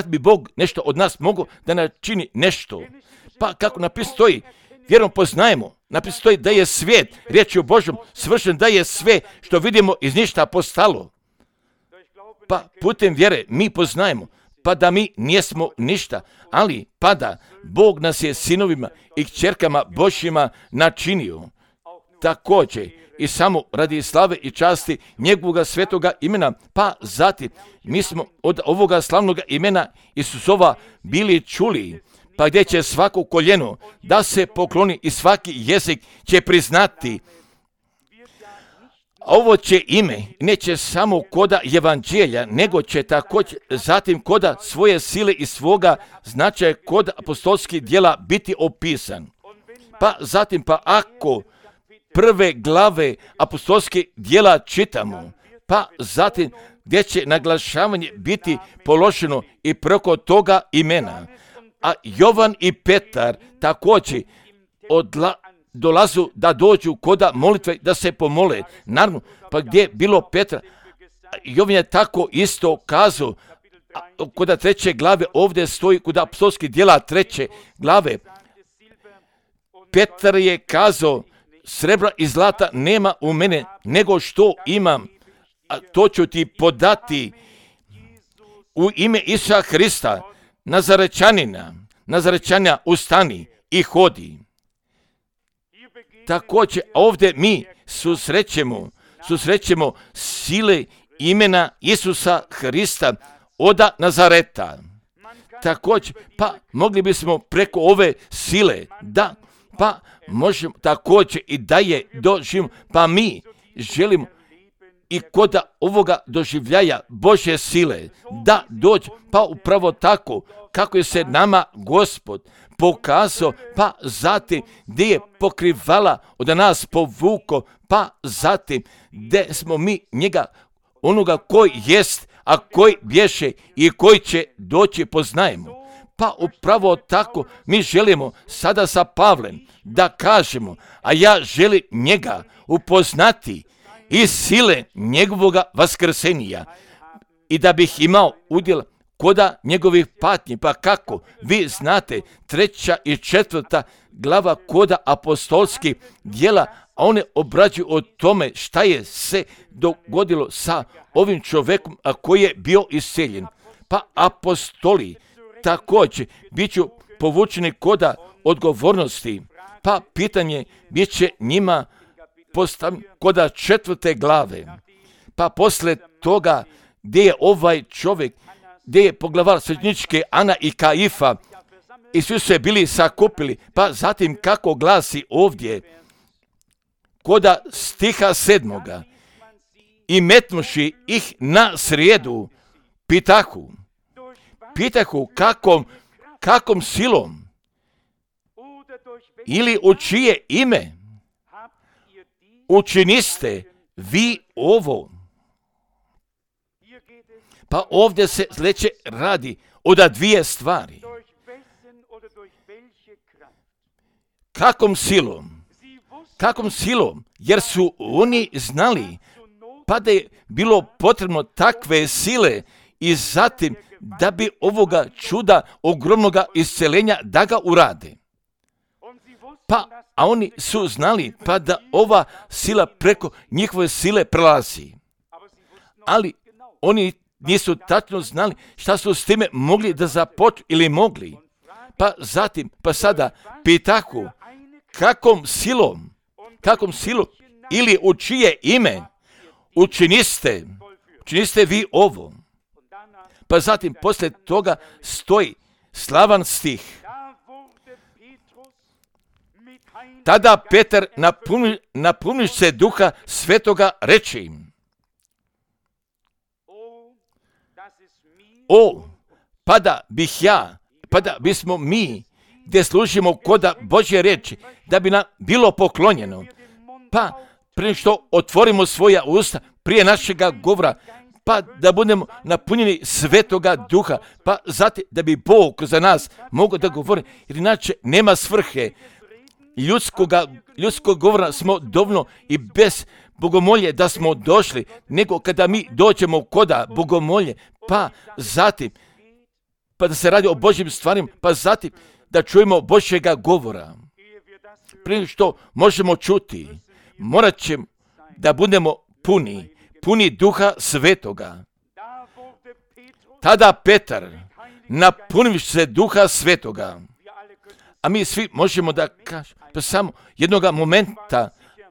bi Bog nešto od nas mogao da načini nešto. Pa kako napisano stoji, vjerom poznajemo, napisano stoji da je svijet riječju Božjom svršen, da je sve što vidimo iz ništa postalo. Pa putem vjere mi poznajemo, pa da mi nijesmo ništa, ali pa da Bog nas je sinovima i kćerkama Božjima načinio. Također i samo radi slave i časti njegovoga svetoga imena, pa zatim mi smo od ovoga slavnoga imena Isusova bili čuli, pa gdje će svako koljeno da se pokloni i svaki jezik će priznati. Ovo će ime neće samo koda evanđelja, nego će također zatim koda svoje sile i svoga značaja kod apostolskih djela biti opisan. Pa zatim ako prve glave apostolskih djela čitamo, pa zatim gdje će naglašavanje biti položeno i preko toga imena. A Jovan i Petar također dolazu da dođu koda molitve da se pomole. Naravno, pa gdje je bilo Petra, Jovan je tako isto kazao, koda 3. glave ovdje stoji, koda apostolskih djela 3. glave, Petar je kazao, srebra i zlata nema u mene, nego što imam, a to ću ti podati u ime Isusa Hrista, Nazarečanina, ustani i hodi. Također ovdje mi susrećemo sile imena Isusa Hrista od Nazareta. Također, pa mogli bismo preko ove sile, da, pa možemo također i da je doživimo, pa mi želimo i kod ovoga doživljaja Božje sile da dođe, pa upravo tako kako je se nama Gospod pokazao, pa zatim gdje je pokrivala od nas povuko, pa zatim gdje smo mi njega, onoga koji jest, a koji bješe i koji će doći poznajemo. Pa upravo tako mi želimo sada sa Pavlem da kažemo, a ja želim njega upoznati iz sile njegovoga vaskrsenja i da bih imao udjel koda njegovih patnji. Pa kako? Vi znate, 3. i 4. glava koda apostolskih djela, a one obrađuju o tome šta je se dogodilo sa ovim čovjekom, a koji je bio isceljen. Pa apostoli također bit ću povučeni koda odgovornosti, pa pitanje bit će njima postavljeno koda 4. glave. Pa posle toga, gdje je ovaj čovjek, gdje je poglavar svećeničke Ana i Kaifa, i svi su se bili sakupili, pa zatim kako glasi ovdje, koda stiha 7. I metnuši ih na srijedu, pitahu kakom silom, ili u čije ime učiniste vi ovo. Pa ovdje se sljedeće radi o dvije stvari. Kakom silom, jer su oni znali, pa da je bilo potrebno takve sile i zatim da bi ovoga čuda ogromnoga isceljenja da ga urade. A oni su znali pa da ova sila preko njihove sile prelazi. Ali oni nisu tačno znali šta su s time mogli da započnu ili mogli. Pa sada pitahu kakom silom ili u čije ime učiniste vi ovo. Pa zatim poslije toga stoji slavan stih. Tada Petar napuniš se Duha Svetoga reče im: pa da bismo mi, gdje služimo koda Božje riječi, da bi nam bilo poklonjeno, pa prije što otvorimo svoja usta prije našega govora, pa da budemo napunjeni Svetoga Duha, pa zatim da bi Bog za nas mogao da govori, jer inače nema svrhe. Ljudskog govora smo dovoljno i bez bogomolje da smo došli, nego kada mi dođemo koda bogomolje, pa zatim, pa da se radi o Božjim stvarima, pa zatim da čujemo Božjega govora. Prije što možemo čuti, morat ćemo da budemo puni Duha Svetoga. Tada Petar napuniš se Duha Svetoga. A mi svi možemo da kažemo, pa samo jednoga momenta,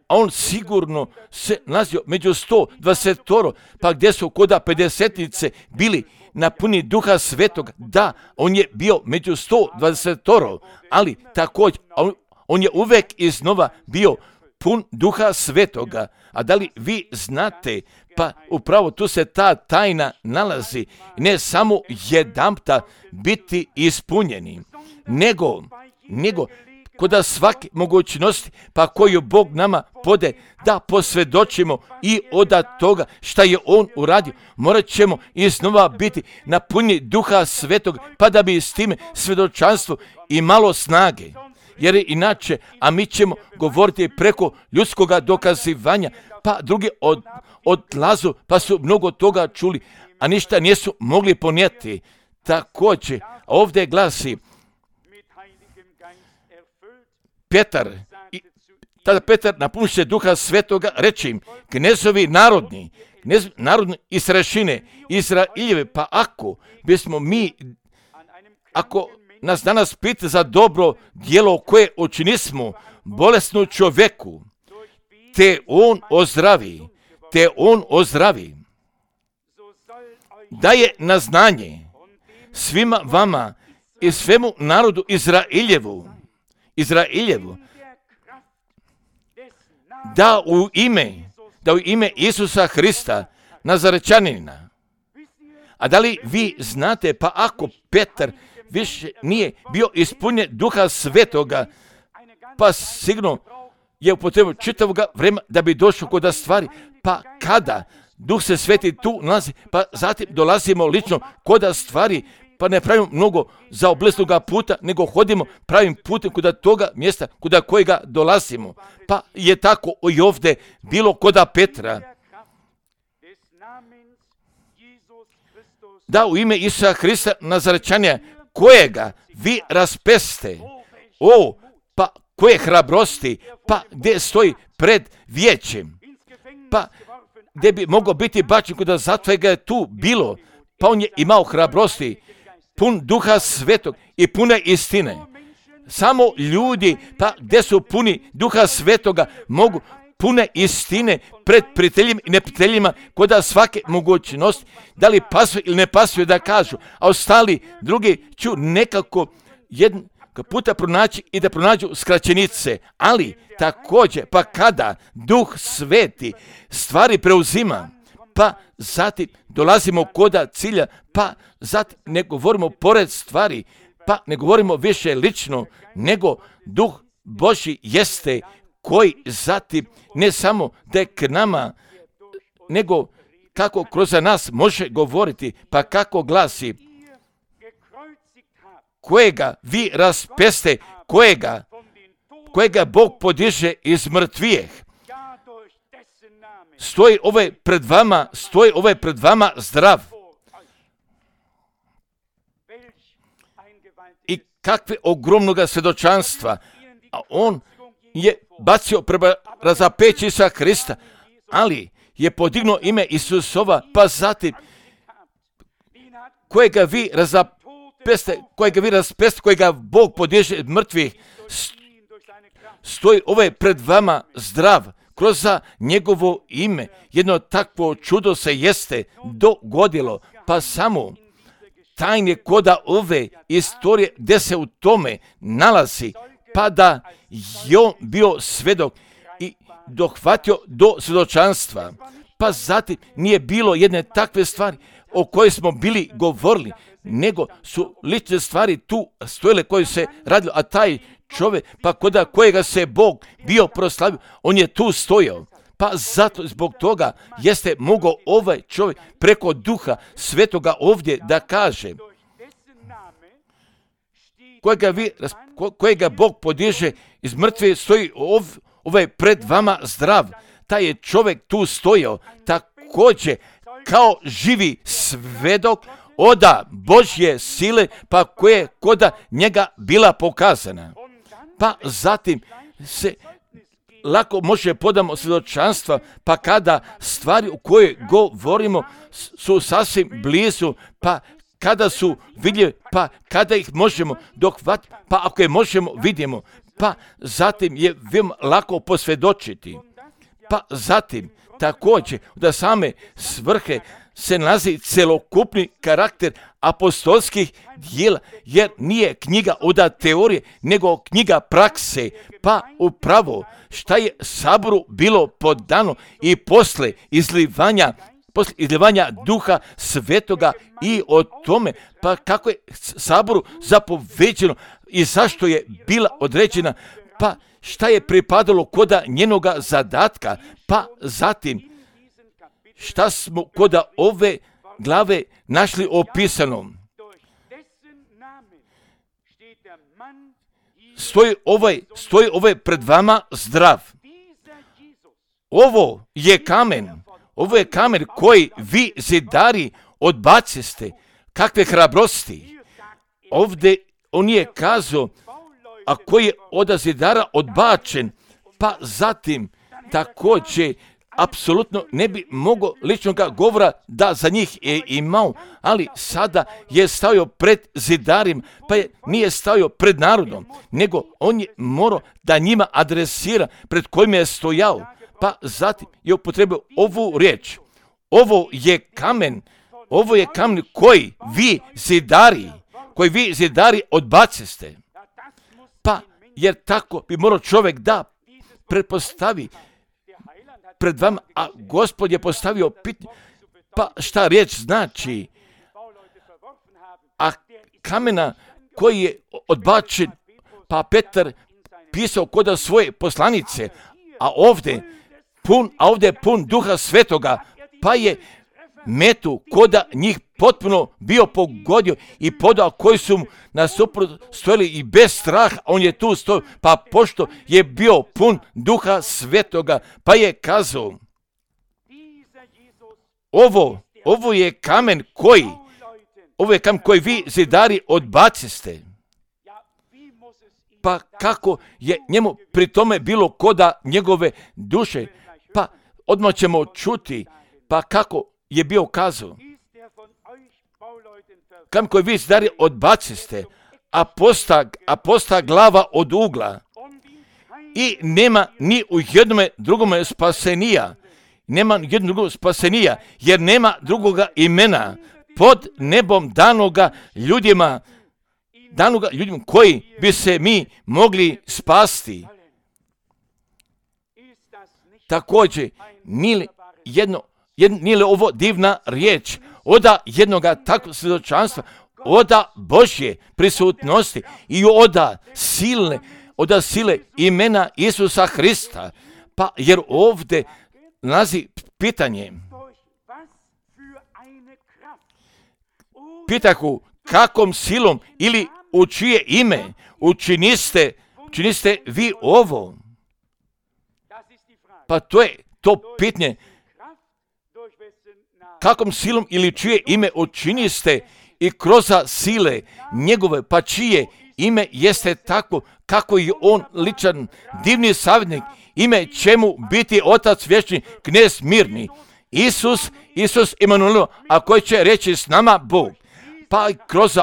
a on sigurno se nalazio među 120, pa gdje su koda 50-nice bili napuni Duha Svetoga. Da, on je bio među 120, ali također on je uvek iznova bio pun Duha Svetoga. A da li vi znate, pa upravo tu se ta tajna nalazi, ne samo jedanputa biti ispunjeni, nego koda svake mogućnosti, pa koju Bog nama pode da posvjedočimo i od toga šta je On uradio, morat ćemo iznova biti napunjeni Duha Svetog, pa da bi s time svjedočanstvo imalo snage. Jer inače, a mi ćemo govoriti preko ljudskoga dokazivanja, pa drugi odlazu, pa su mnogo toga čuli, a ništa nisu mogli ponijeti. Također, ovdje glasi tada Petar napuni se Duha Svetoga, reče im: knezovi narodni i starešine Izraeljeve, pa ako nas danas pita za dobro djelo koje učinismo bolesnu čovjeku, te on ozdravi, daje na znanje svima vama i svemu narodu Izraeljevu, da u ime Isusa Hrista, Nazarečanina. A da li vi znate, pa ako Petar više nije bio ispunjen Duha Svetoga, pa sigurno je upotrebio čitavoga vremena da bi došao kod stvari, pa kada Duh se Sveti tu nalazi, pa zatim dolazimo lično kod stvari, pa ne pravimo mnogo za oblesnoga puta, nego hodimo pravim putem kod toga mjesta kod kojega dolazimo. Pa je tako i ovdje bilo kod Petra. Da u ime Isusa Hrista Nazarečanina, kojega vi raspeste, pa koje hrabrosti, pa gdje stoji pred vijećem, pa gdje bi mogao biti bačen kod zatvora ga je tu bilo, pa on je imao hrabrosti, pun Duha Svetog i pune istine. Samo ljudi, pa gdje su puni Duha Svetoga, mogu pune istine pred prijateljima i neprijateljima, koda svake mogućnosti, da li pasuje ili ne pasuje da kažu, a ostali drugi ću nekako jednog puta pronaći i da pronađu skraćenice, ali također, pa kada Duh Sveti stvari preuzima, pa zatim dolazimo koda cilja, pa zatim ne govorimo pored stvari, pa ne govorimo više lično, nego Duh Božji jeste koji zatim ne samo da je k nama, nego kako kroz nas može govoriti, pa kako glasi, kojega vi raspeste, kojega Bog podiže iz mrtvijeh. Stoji ovaj pred vama zdrav. I kakve ogromnoga svjedočanstva. A on je bacio prema razapeći Isusa Krista, ali je podignuo ime Isusova, pa zatim kojega vi raspeste, kojega Bog podiže iz mrtvih, stoji ovaj pred vama zdrav. Kroz njegovo ime jedno takvo čudo se jeste dogodilo, pa samo tajne koda ove istorije gdje se u tome nalazi, pa da je on bio svedok i dohvatio do svjedočanstva. Pa zatim nije bilo jedne takve stvari o kojoj smo bili govorili, nego su lične stvari tu stojile koje se radilo, a taj čovjek, pa koda kojega se Bog bio proslavio, on je tu stojao. Pa zato zbog toga jeste mogao ovaj čovjek preko Duha Svetoga ovdje da kaže, kojega Bog podiže iz mrtve, stoji ovaj pred vama zdrav. Taj je čovjek tu stojao također kao živi svedok oda Božje sile, pa koje koda njega bila pokazana. Pa zatim se lako može podamo svjedočanstva, pa kada stvari u koje govorimo su sasvim blizu, pa kada su vidljive, pa kada ih možemo dohvatiti, pa ako je možemo vidimo, pa zatim je veoma lako posvjedočiti. Pa zatim također da same svrhe se nalazi celokupni karakter apostolskih dijela, jer nije knjiga od teorije, nego knjiga prakse, pa upravo šta je saboru bilo podano i posle izlivanja Duha Svetoga i o tome, pa kako je saboru zapoveđeno i zašto je bila određena, pa šta je pripadalo koda njenoga zadatka, pa zatim šta smo koda ove glave našli opisano. Stoji ovaj pred vama zdrav. Ovo je kamen koji vi zidari odbaciste. Kakve hrabrosti. Ovdje on je kazao, a koji je od zidara odbačen, pa zatim također apsolutno ne bi mogao ličnog govora da za njih je imao, ali sada je stavio pred zidarim, pa nije stavio pred narodom, nego on je morao da njima adresira pred kojim je stojao, pa zatim je upotrebio ovu riječ. Ovo je kamen koji vi zidari odbaciste. Pa jer tako bi morao čovjek da pretpostavi pred vama, a Gospod je postavio pitanje, pa šta riječ znači? A kamena koji je odbačen, pa Petar pisao koda svoje poslanice, a ovdje je pun Duha Svetoga, pa je metu koda njih potpuno bio pogodio i podao koji su mu nasuprot stojili i bez straha, on je tu stojio, pa pošto je bio pun Duha Svetoga, pa je kazao, ovo je kamen koji vi zidari odbaciste. Pa kako je njemu pri tome bilo koda njegove duše, pa odmah ćemo čuti, pa kako je bio kazao. Kamen koji vi zidari odbaciste, a posta glava od ugla i nema ni u jednome drugome spasenija. Nema jednog drugog spasenija, jer nema drugoga imena pod nebom danoga ljudima koji bi se mi mogli spasti. Također, nije li ovo divna riječ oda jednoga takvog svjedočanstva, oda Božje prisutnosti i oda sile imena Isusa Hrista. Pa jer ovdje nalazi pitanje. Pitahu, kakom silom ili u čije ime učiniste vi ovo? Pa to je to pitanje. Kakom silom ili čije ime učiniste i kroz sile njegove, pa čije ime jeste tako kako je on ličan, divni savjetnik, ime čemu biti Otac vječni, knez mirni, Isus Emanuel, a koji će reći s nama Bog. Pa kroz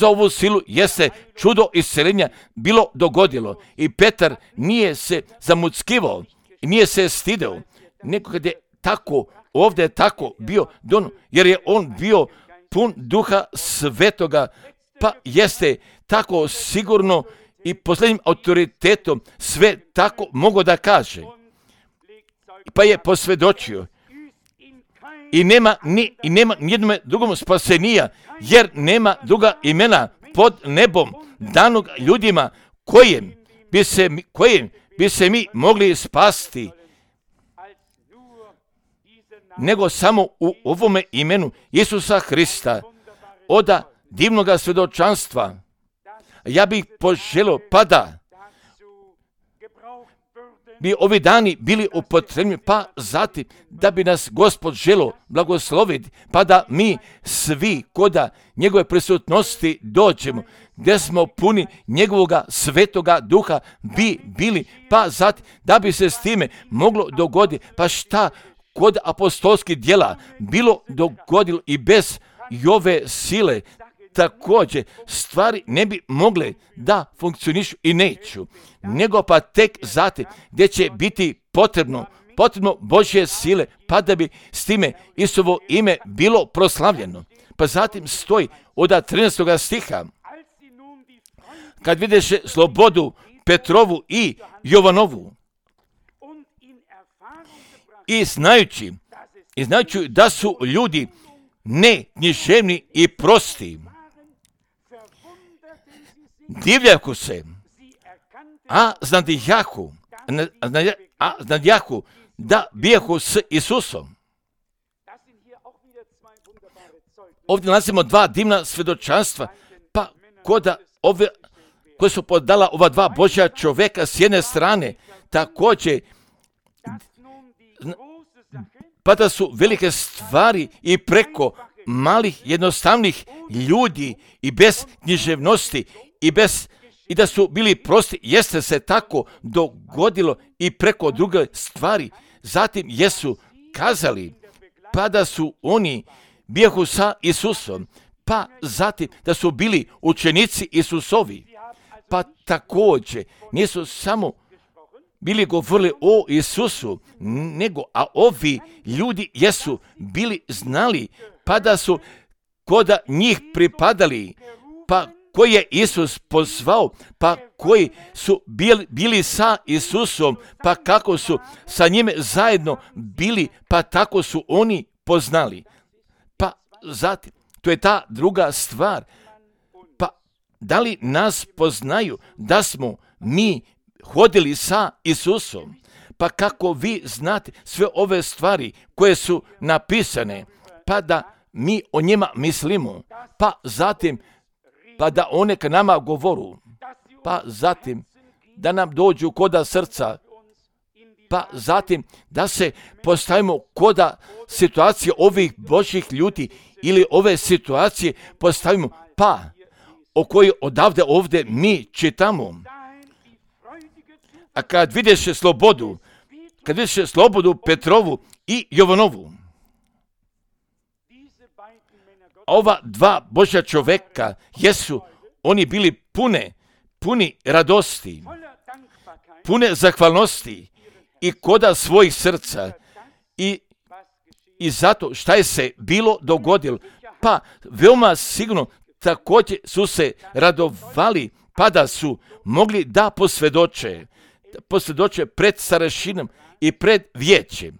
ovu silu jeste čudo isceljenja bilo dogodilo. I Petar nije se zamuckivao, nije se stideo, nego kad je tako, ovdje je tako bio, jer je on bio pun Duha Svetoga, pa jeste tako sigurno i posljednjim autoritetom sve tako mogo da kaže. Pa je posvjedočio. I nema nijednom drugom spasenija, jer nema druga imena pod nebom danog ljudima kojem bi se mi mogli spasti, nego samo u ovome imenu Isusa Hrista, oda divnoga svjedočanstva. Ja bih poželio pa da bi ovi dani bili upotrebljeni, pa zatim da bi nas Gospod želio blagosloviti, pa da mi svi koda njegove prisutnosti dođemo, gdje smo puni njegovoga svetoga duha bi bili, pa zatim da bi se s time moglo dogoditi, pa šta kod apostolskih djela bilo dogodilo i bez ove sile, također stvari ne bi mogle da funkcionišu i neću, nego pa tek zatim gdje će biti potrebno Božje sile, pa da bi s time Isusovo ime bilo proslavljeno. Pa zatim stoji od 13. stiha, kad videše slobodu Petrovu i Jovanovu i znajući da su ljudi ne književni i prosti, divljaku se, a znadjahu da bijahu s Isusom. Ovdje nalazimo dva divna svjedočanstva, pa koje su podala ova dva Božja čovjeka s jedne strane, također pa da su velike stvari i preko malih jednostavnih ljudi i bez književnosti i da su bili prosti, jeste se tako dogodilo i preko druge stvari. Zatim jesu kazali, pa da su oni bijahu sa Isusom, pa zatim da su bili učenici Isusovi, pa također nisu samo bili govorili o Isusu, nego, a ovi ljudi jesu bili znali, pa da su koda njih pripadali, pa koji je Isus pozvao, pa koji su bili sa Isusom, pa kako su sa njime zajedno bili, pa tako su oni poznali. Pa zatim, to je ta druga stvar, pa da li nas poznaju da smo mi hodili sa Isusom, pa kako vi znate sve ove stvari koje su napisane, pa da mi o njima mislimo, pa zatim pa da one k nama govoru, pa zatim da nam dođu koda srca, pa zatim da se postavimo koda situacije ovih Božjih ljudi ili ove situacije postavimo, pa o kojoj odavde ovdje mi čitamo. A kad vidiš slobodu Petrovu i Jovanovu, ova dva Božja čovjeka jesu, oni bili puni radosti, pune zahvalnosti i koda svojih srca i zato šta je se bilo dogodilo, pa veoma sigurno također su se radovali, pa da su mogli da posvjedoče pred starešinom i pred vijećem.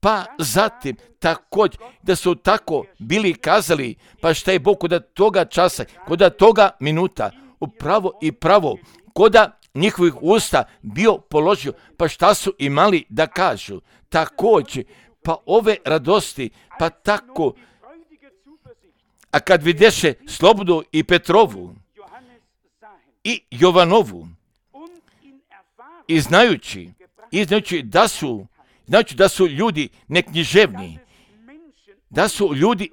Pa zatim također da su tako bili kazali, pa šta je Bog kod toga časa, kod toga minuta, upravo i pravo, kod njihovih usta bio položio, pa šta su imali da kažu. Također, pa ove radosti, pa tako, a kad videše Slobodu i Petrovu i Jovanovu, i znajući da su ljudi neknjiževni, da su ljudi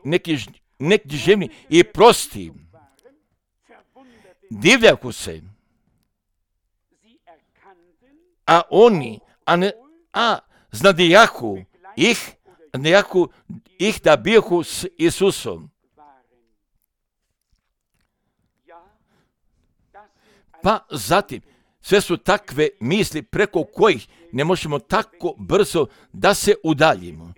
neknjiževni i prosti, divljaku se, a oni, znadijahu ih da bijahu s Isusom. Pa zatim, sve su takve misli preko kojih ne možemo tako brzo da se udaljimo.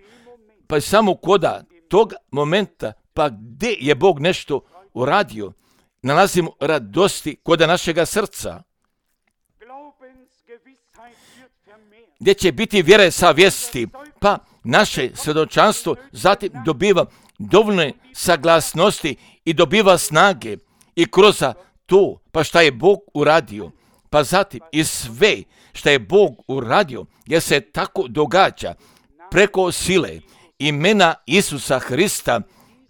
Pa samo koda tog momenta, pa gdje je Bog nešto uradio, nalazimo radosti koda našega srca. Gdje će biti vjere savjesti, pa naše svjedočanstvo zatim dobiva dovoljne saglasnosti i dobiva snage i kroz to, pa šta je Bog uradio. Pa zatim i sve šta je Bog uradio, jer se tako događa preko sile imena Isusa Hrista,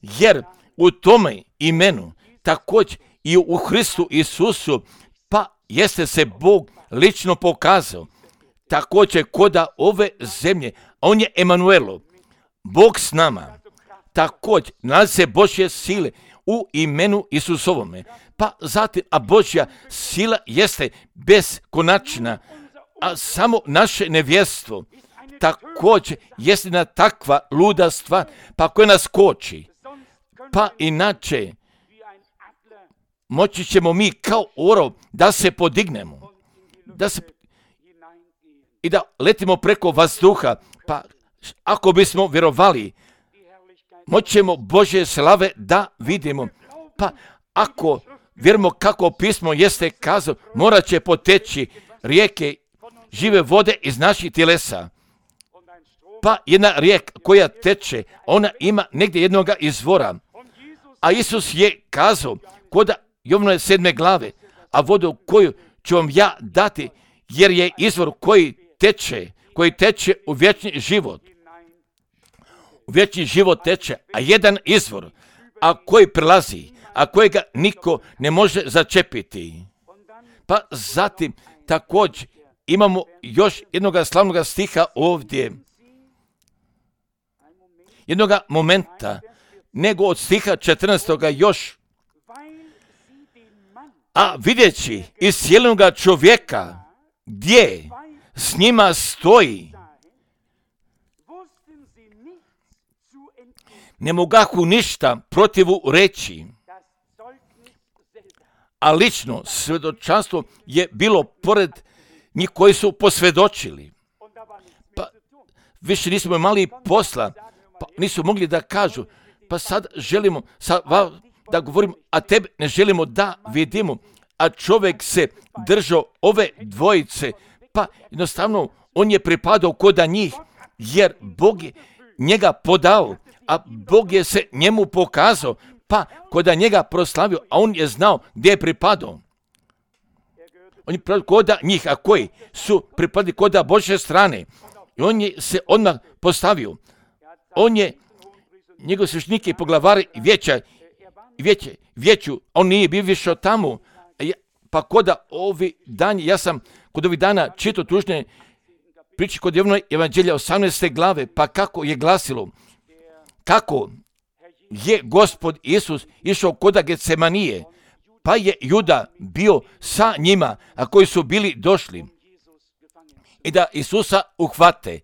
jer u tome imenu također i u Hristu Isusu, pa jeste se Bog lično pokazao. Također koda ove zemlje, on je Emanuelo, Bog s nama. Također nalazi se Božje sile u imenu Isusovome. Pa zatim, a Božja sila jeste beskonačna, a samo naše nevjestvo također jeste na takva luda stvar, pa koja nas koči. Pa inače, moći ćemo mi kao orao da se podignemo, i da letimo preko vazduha, pa ako bismo vjerovali, moćemo Božje slave da vidimo. Pa ako vjerujemo kako pismo jeste kazao, morat će poteći rijeke žive vode iz naših tjelesa. Pa jedna rijeka koja teče, ona ima negdje jednoga izvora. A Isus je kazao, koda Jovanove 7. glave, a vodu koju ću vam ja dati, jer je izvor koji teče u vječni život. U vječni život teče, a jedan izvor, a koji prelazi, a kojega niko ne može začepiti. Pa zatim također imamo još jednoga slavnoga stiha ovdje, jednoga momenta, nego od stiha 14. još. A vidjeći iscijeljenoga čovjeka, gdje s njima stoji, ne mogahu ništa protivu reći, a lično svjedočanstvo je bilo pored njih koji su posvjedočili. Pa više nismo imali posla, pa nisu mogli da kažu, pa sad želimo da govorimo, a tebe ne želimo da vidimo, a čovjek se držao ove dvojice, pa jednostavno on je pripadao koda njih, jer Bog je njega podao, a Bog je se njemu pokazao, pa koda njega proslavio, a on je znao gdje je pripadao. On je pripadao koda njih, a koji su pripadali koda Božje strane. I on je se odmah postavio. On je njegov sveštenike i poglavari vijeću, on nije bio više tamo. Pa koda ja sam kod ovih dana čitao tužne priče kod Jovanove evanđelja 18. glave, pa kako je glasilo, kako je Gospod Isus išao koda Getsemanije, pa je Juda bio sa njima, a koji su bili došli i da Isusa uhvate.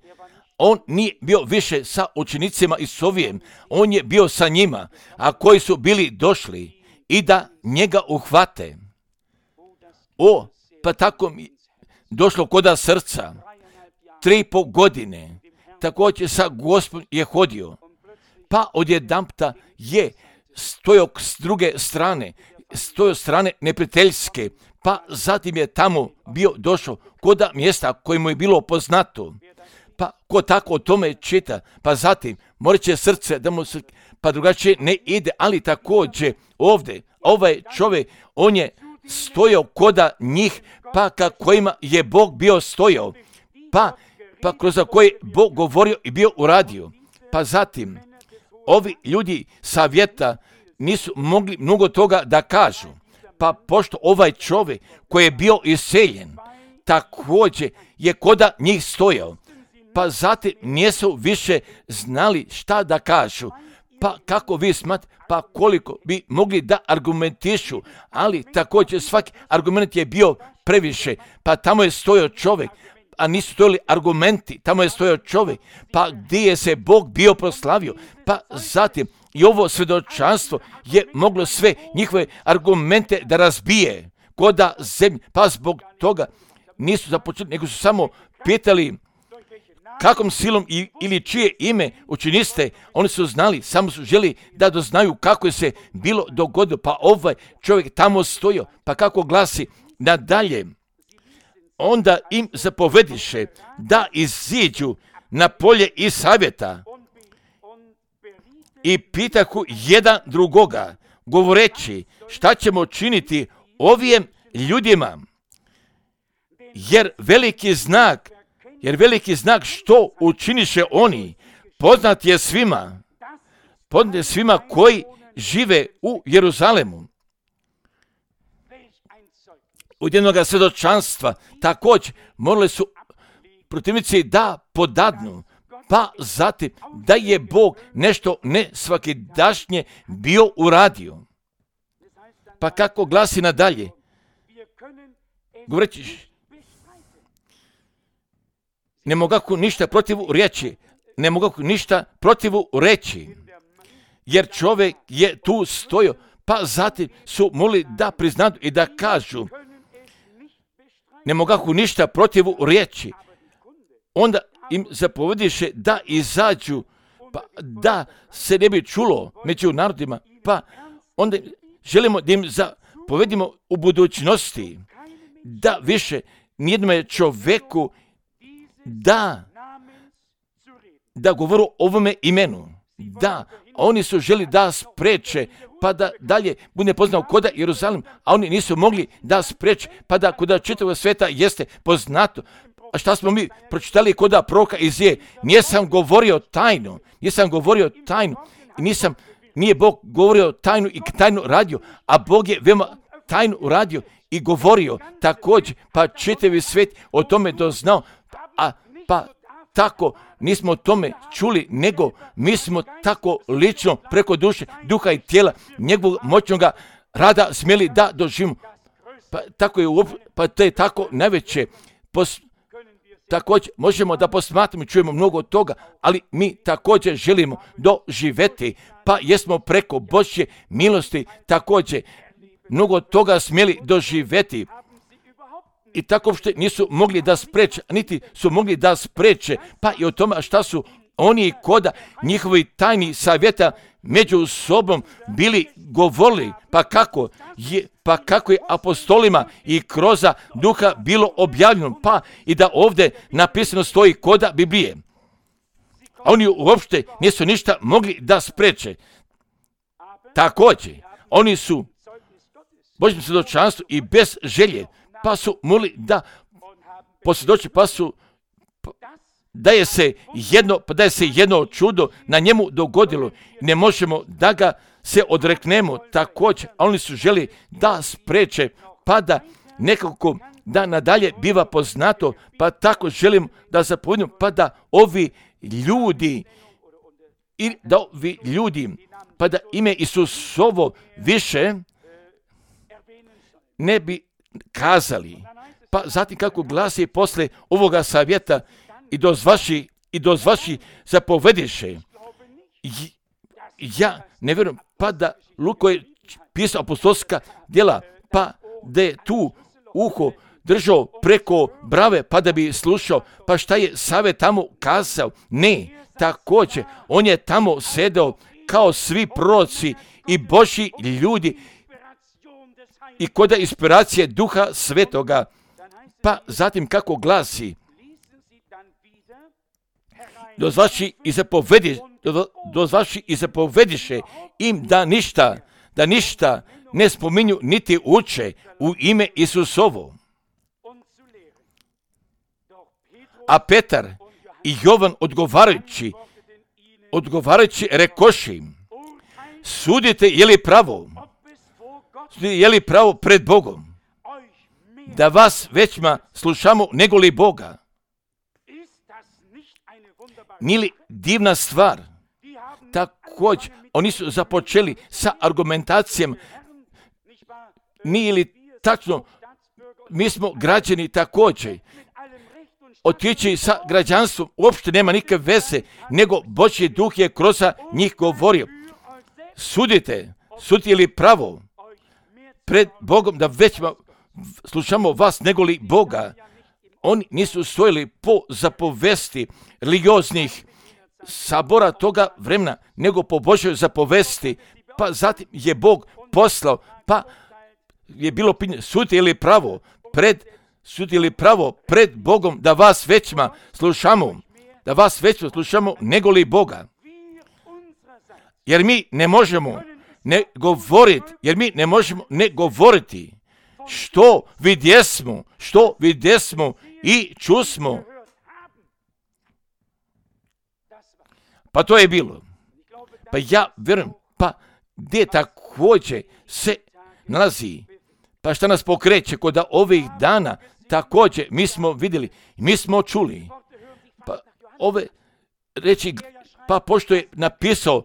On nije bio više sa učenicima Isusovijem, on je bio sa njima, a koji su bili došli i da njega uhvate. Pa tako došlo koda srca. 3,5 godine također sa Gospodom je hodio. Pa odjedanputa je stojao s druge strane, stojao strane neprijateljske, pa zatim je tamo bio došao koda mjesta koje mu je bilo poznato. Pa ko tako o tome čita, pa zatim morat će srce da mu se, pa drugačije ne ide, ali također ovdje, ovaj čovjek, on je stojao koda njih, pa ka kojima je Bog bio stojao, pa kroz koje Bog govorio i bio uradio. Pa zatim, ovi ljudi savjeta nisu mogli mnogo toga da kažu, pa pošto ovaj čovjek koji je bio iseljen, također je koda njih stojao, pa zatim nisu više znali šta da kažu. Pa kako vi smatrate, pa koliko bi mogli da argumentišu, ali također svaki argument je bio previše, pa tamo je stojao čovjek, a nisu stojali argumenti, tamo je stojao čovjek, pa gdje je se Bog bio proslavio, pa zatim i ovo svjedočanstvo je moglo sve njihove argumente da razbije, koda zemlje, pa zbog toga nisu započeli, nego su samo pitali kakvom silom ili čije ime učiniste. Oni su znali, samo su želi da doznaju kako je se bilo dogodilo, pa ovaj čovjek tamo stojio, pa kako glasi nadalje, onda im zapovediše da iziđu na polje i savjeta i pitahu jedan drugoga, govoreći šta ćemo činiti ovim ljudima, jer veliki znak što učiniše oni, poznat je svima koji žive u Jeruzalemu. Od jednoga svjedočanstva također morali su protivnici da podadnu, pa zatim da je Bog nešto ne svakidašnje bio uradio. Pa kako glasi nadalje, govoreći, ne mogu ništa protivu reći, jer čovjek je tu stojao, pa zatim su mogli da priznaju i da kažu, ne mogu ništa protivu reći. Onda im zapovediše da izađu, pa da se ne bi čulo među narodima, pa onda želimo da im zapovedimo u budućnosti, da više nijednome čovjeku da govoru o ovome imenu, da oni su želi da spreče, pa da dalje bude poznao koda Jeruzalem, a oni nisu mogli da spreče, pa da koda čitavog sveta jeste poznato. A šta smo mi pročitali koda proroka Izaije? Nisam govorio tajnu, i nije Bog govorio tajnu i tajnu radio, a Bog je veoma tajnu radio i govorio također, pa čitavi svijet o tome doznao, pa tako nismo o tome čuli, nego mi smo tako lično preko duše, duha i tijela njegovog moćnog rada smjeli da doživimo. Pa to je tako najveće. Također možemo da posmatramo i čujemo mnogo toga, ali mi također želimo doživjeti, pa jesmo preko Božje milosti također mnogo toga smjeli doživjeti. I tako što nisu mogli da spreče, niti su mogli da spreče, pa i o tome šta su oni koda njihovi tajni savjeta među sobom bili govorili, pa kako je apostolima i kroz duha bilo objavljeno, pa i da ovdje napisano stoji koda Biblije. A oni uopšte nisu ništa mogli da spreče. Također, oni su Božjem svjedočanstvu i bez želje, pa su mogli da posvjedoče, da je se jedno čudo na njemu dogodilo. Ne možemo da ga se odreknemo također, a oni su želi da spreče, pa da nekako da nadalje biva poznato, pa tako želim da zapovedimo, pa da ovi ljudi, pa da ime Isusovo više ne bi kazali. Pa zatim kako glasi posle ovoga savjeta i doz vaši zapovediše. Ja ne vjerujem, pa da Luka je pisao apostolska djela, pa da je tu uho držao preko brave pa da bi slušao, pa šta je Save tamo kazao? Ne, također, on je tamo sedeo kao svi proroci i Božji ljudi i kod inspiracije Duha Svetoga. Pa zatim kako glasi, dozvaši i zapovediše im da ništa ne spominju niti uče u ime Isusovo. A Petar i Jovan odgovarajući rekoši, sudite je li pravo pred Bogom, da vas većma slušamo nego li Boga. Nije li divna stvar? Također, oni su započeli sa argumentacijom, nije li tačno, mi smo građani također. Otići sa građanstvom uopšte nema nikakve veze, nego Božji duh je kroz njih govorio. Sudite je li pravo pred Bogom, da većma slušamo vas nego li Boga. Oni nisu stojili po zapovesti religioznih sabora toga vremena, nego po Božjoj zapovesti. Pa zatim je Bog poslao, pa je bilo pitanje, sudite li pravo pred Bogom, da vas većma slušamo nego li Boga. Jer mi ne možemo ne govoriti što vidjesmo i čusmo. Pa to je bilo. Pa ja vjerujem, pa gdje također se nalazi, pa šta nas pokreće kod ovih dana, također mi smo vidjeli, mi smo čuli. Pa ove reći, pa pošto je napisao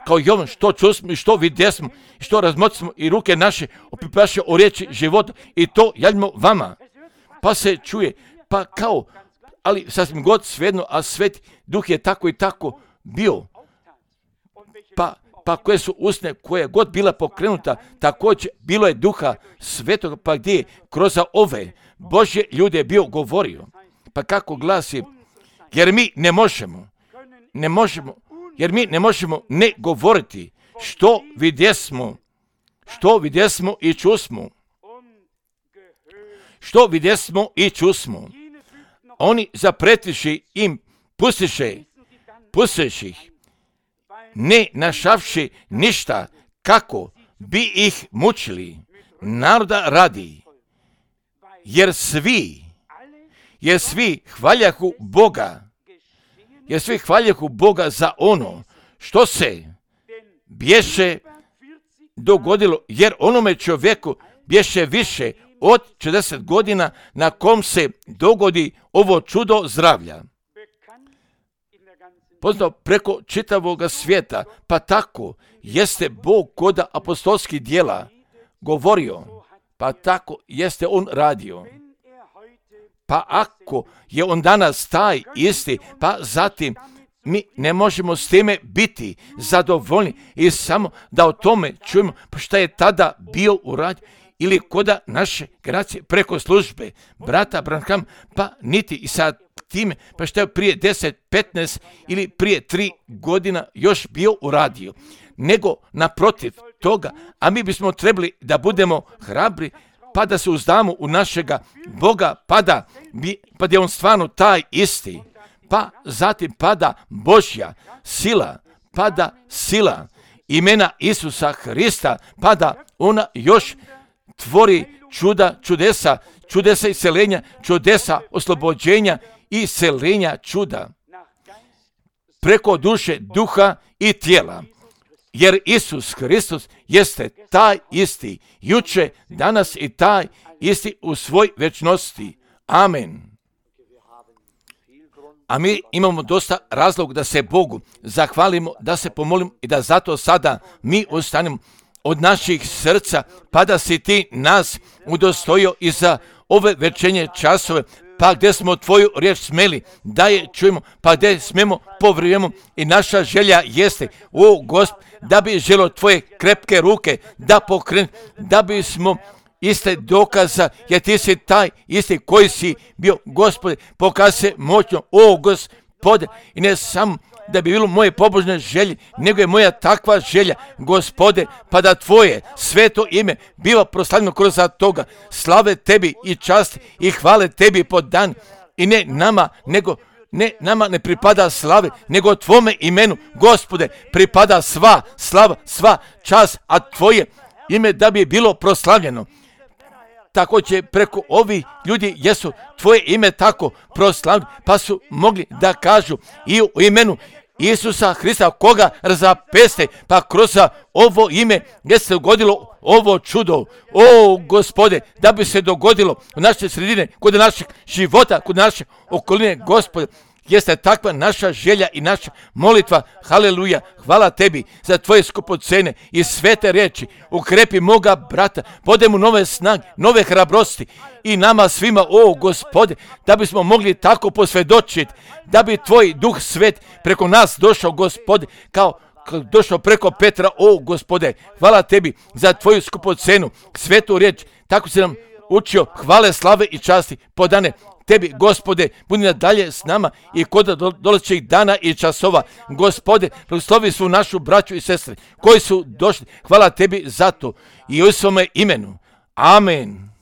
kao Jovan, što čusmo i što vidjesmo, što razmoćimo i ruke naše opipaše o riječi života i to javljamo vama. Pa se čuje, pa kao, ali sasvim god svejedno, a Sveti Duh je tako i tako bio. Pa koje su usne, koja je god bila pokrenuta, također bilo je Duha Svetoga, pa gdje je kroz ove Božje ljude je bio govorio. Pa kako glasi, jer mi ne možemo ne govoriti što vidjesmo i čusmo. Što vidjesmo i čusmo. Oni zapretiši im pustiše ih, ne našavši ništa kako bi ih mučili naroda radi, jer svi hvaljahu Boga za ono što se bješe dogodilo, jer onome čovjeku bješe više od 40 godina na kom se dogodi ovo čudo zdravlja. Poznao preko čitavoga svijeta, pa tako jeste Bog kod apostolskih djela govorio, pa tako jeste on radio. Pa ako je on danas taj isti, pa zatim mi ne možemo s time biti zadovoljni i samo da o tome čujemo, pa šta je tada bio uradio ili koda naše generacije preko službe brata Branham, pa niti i sad time, pa šta je prije 10, 15 ili prije 3 godina još bio uradio, nego naprotiv toga, a mi bismo trebali da budemo hrabri, pa da se uzdamo u našega Boga, pa da je on stvarno taj isti, pa zatim pada Božja sila, pada sila imena Isusa Hrista, pa da ona još tvori čudesa isceljenja, čudesa oslobođenja i isceljenja čuda preko duše, duha i tijela. Jer Isus Hristos jeste taj isti, juče, danas i taj isti u svoj večnosti. Amen. A mi imamo dosta razlog da se Bogu zahvalimo, da se pomolimo i da zato sada mi ostanemo od naših srca, pa da si ti nas udostojio i za ove večernje časove, pa gdje smo tvoju riječ smeli da je čujemo, pa gdje smemo povrijemo i naša želja jeste, o Gospod, da bi želo tvoje krepke ruke da pokrenu, da bismo iste dokaza, jer ti si taj isti koji si bio, Gospode, pokazuje se moćno, o Gospode, i ne samo da bi bilo moje pobožne želje, nego je moja takva želja, Gospode, pa da tvoje sveto ime biva proslavljeno kroz toga. Slave tebi i čast i hvale tebi po dan, i ne nama ne pripada slave, nego tvome imenu, Gospode, pripada sva slava, sva čast, a tvoje ime da bi bilo proslavljeno. Tako će preko ovih ljudi, jesu tvoje ime tako proslavljeno, pa su mogli da kažu i u imenu Isusa Hrista, koga razapeste, pa kroz ovo ime gdje se dogodilo ovo čudo. O Gospode, da bi se dogodilo u naše sredine, kod naših života, kod naše okoline, Gospode, jeste takva naša želja i naša molitva. Haleluja, hvala tebi za tvoje skupocene i svete riječi. Ukrepi moga brata, podaj mu nove snage, nove hrabrosti i nama svima, o Gospode, da bismo mogli tako posvjedočiti, da bi tvoj duh svet preko nas došao, Gospode, kao došao preko Petra. O Gospode, hvala tebi za tvoju skupocenu, svetu riječ. Tako si nam učio hvale, slave i časti podane tebi, Gospode. Budi nadalje s nama i kod dolazećih dana i časova, Gospode. Blagoslovi su našu braću i sestre koji su došli. Hvala tebi za to i u svome imenu. Amen.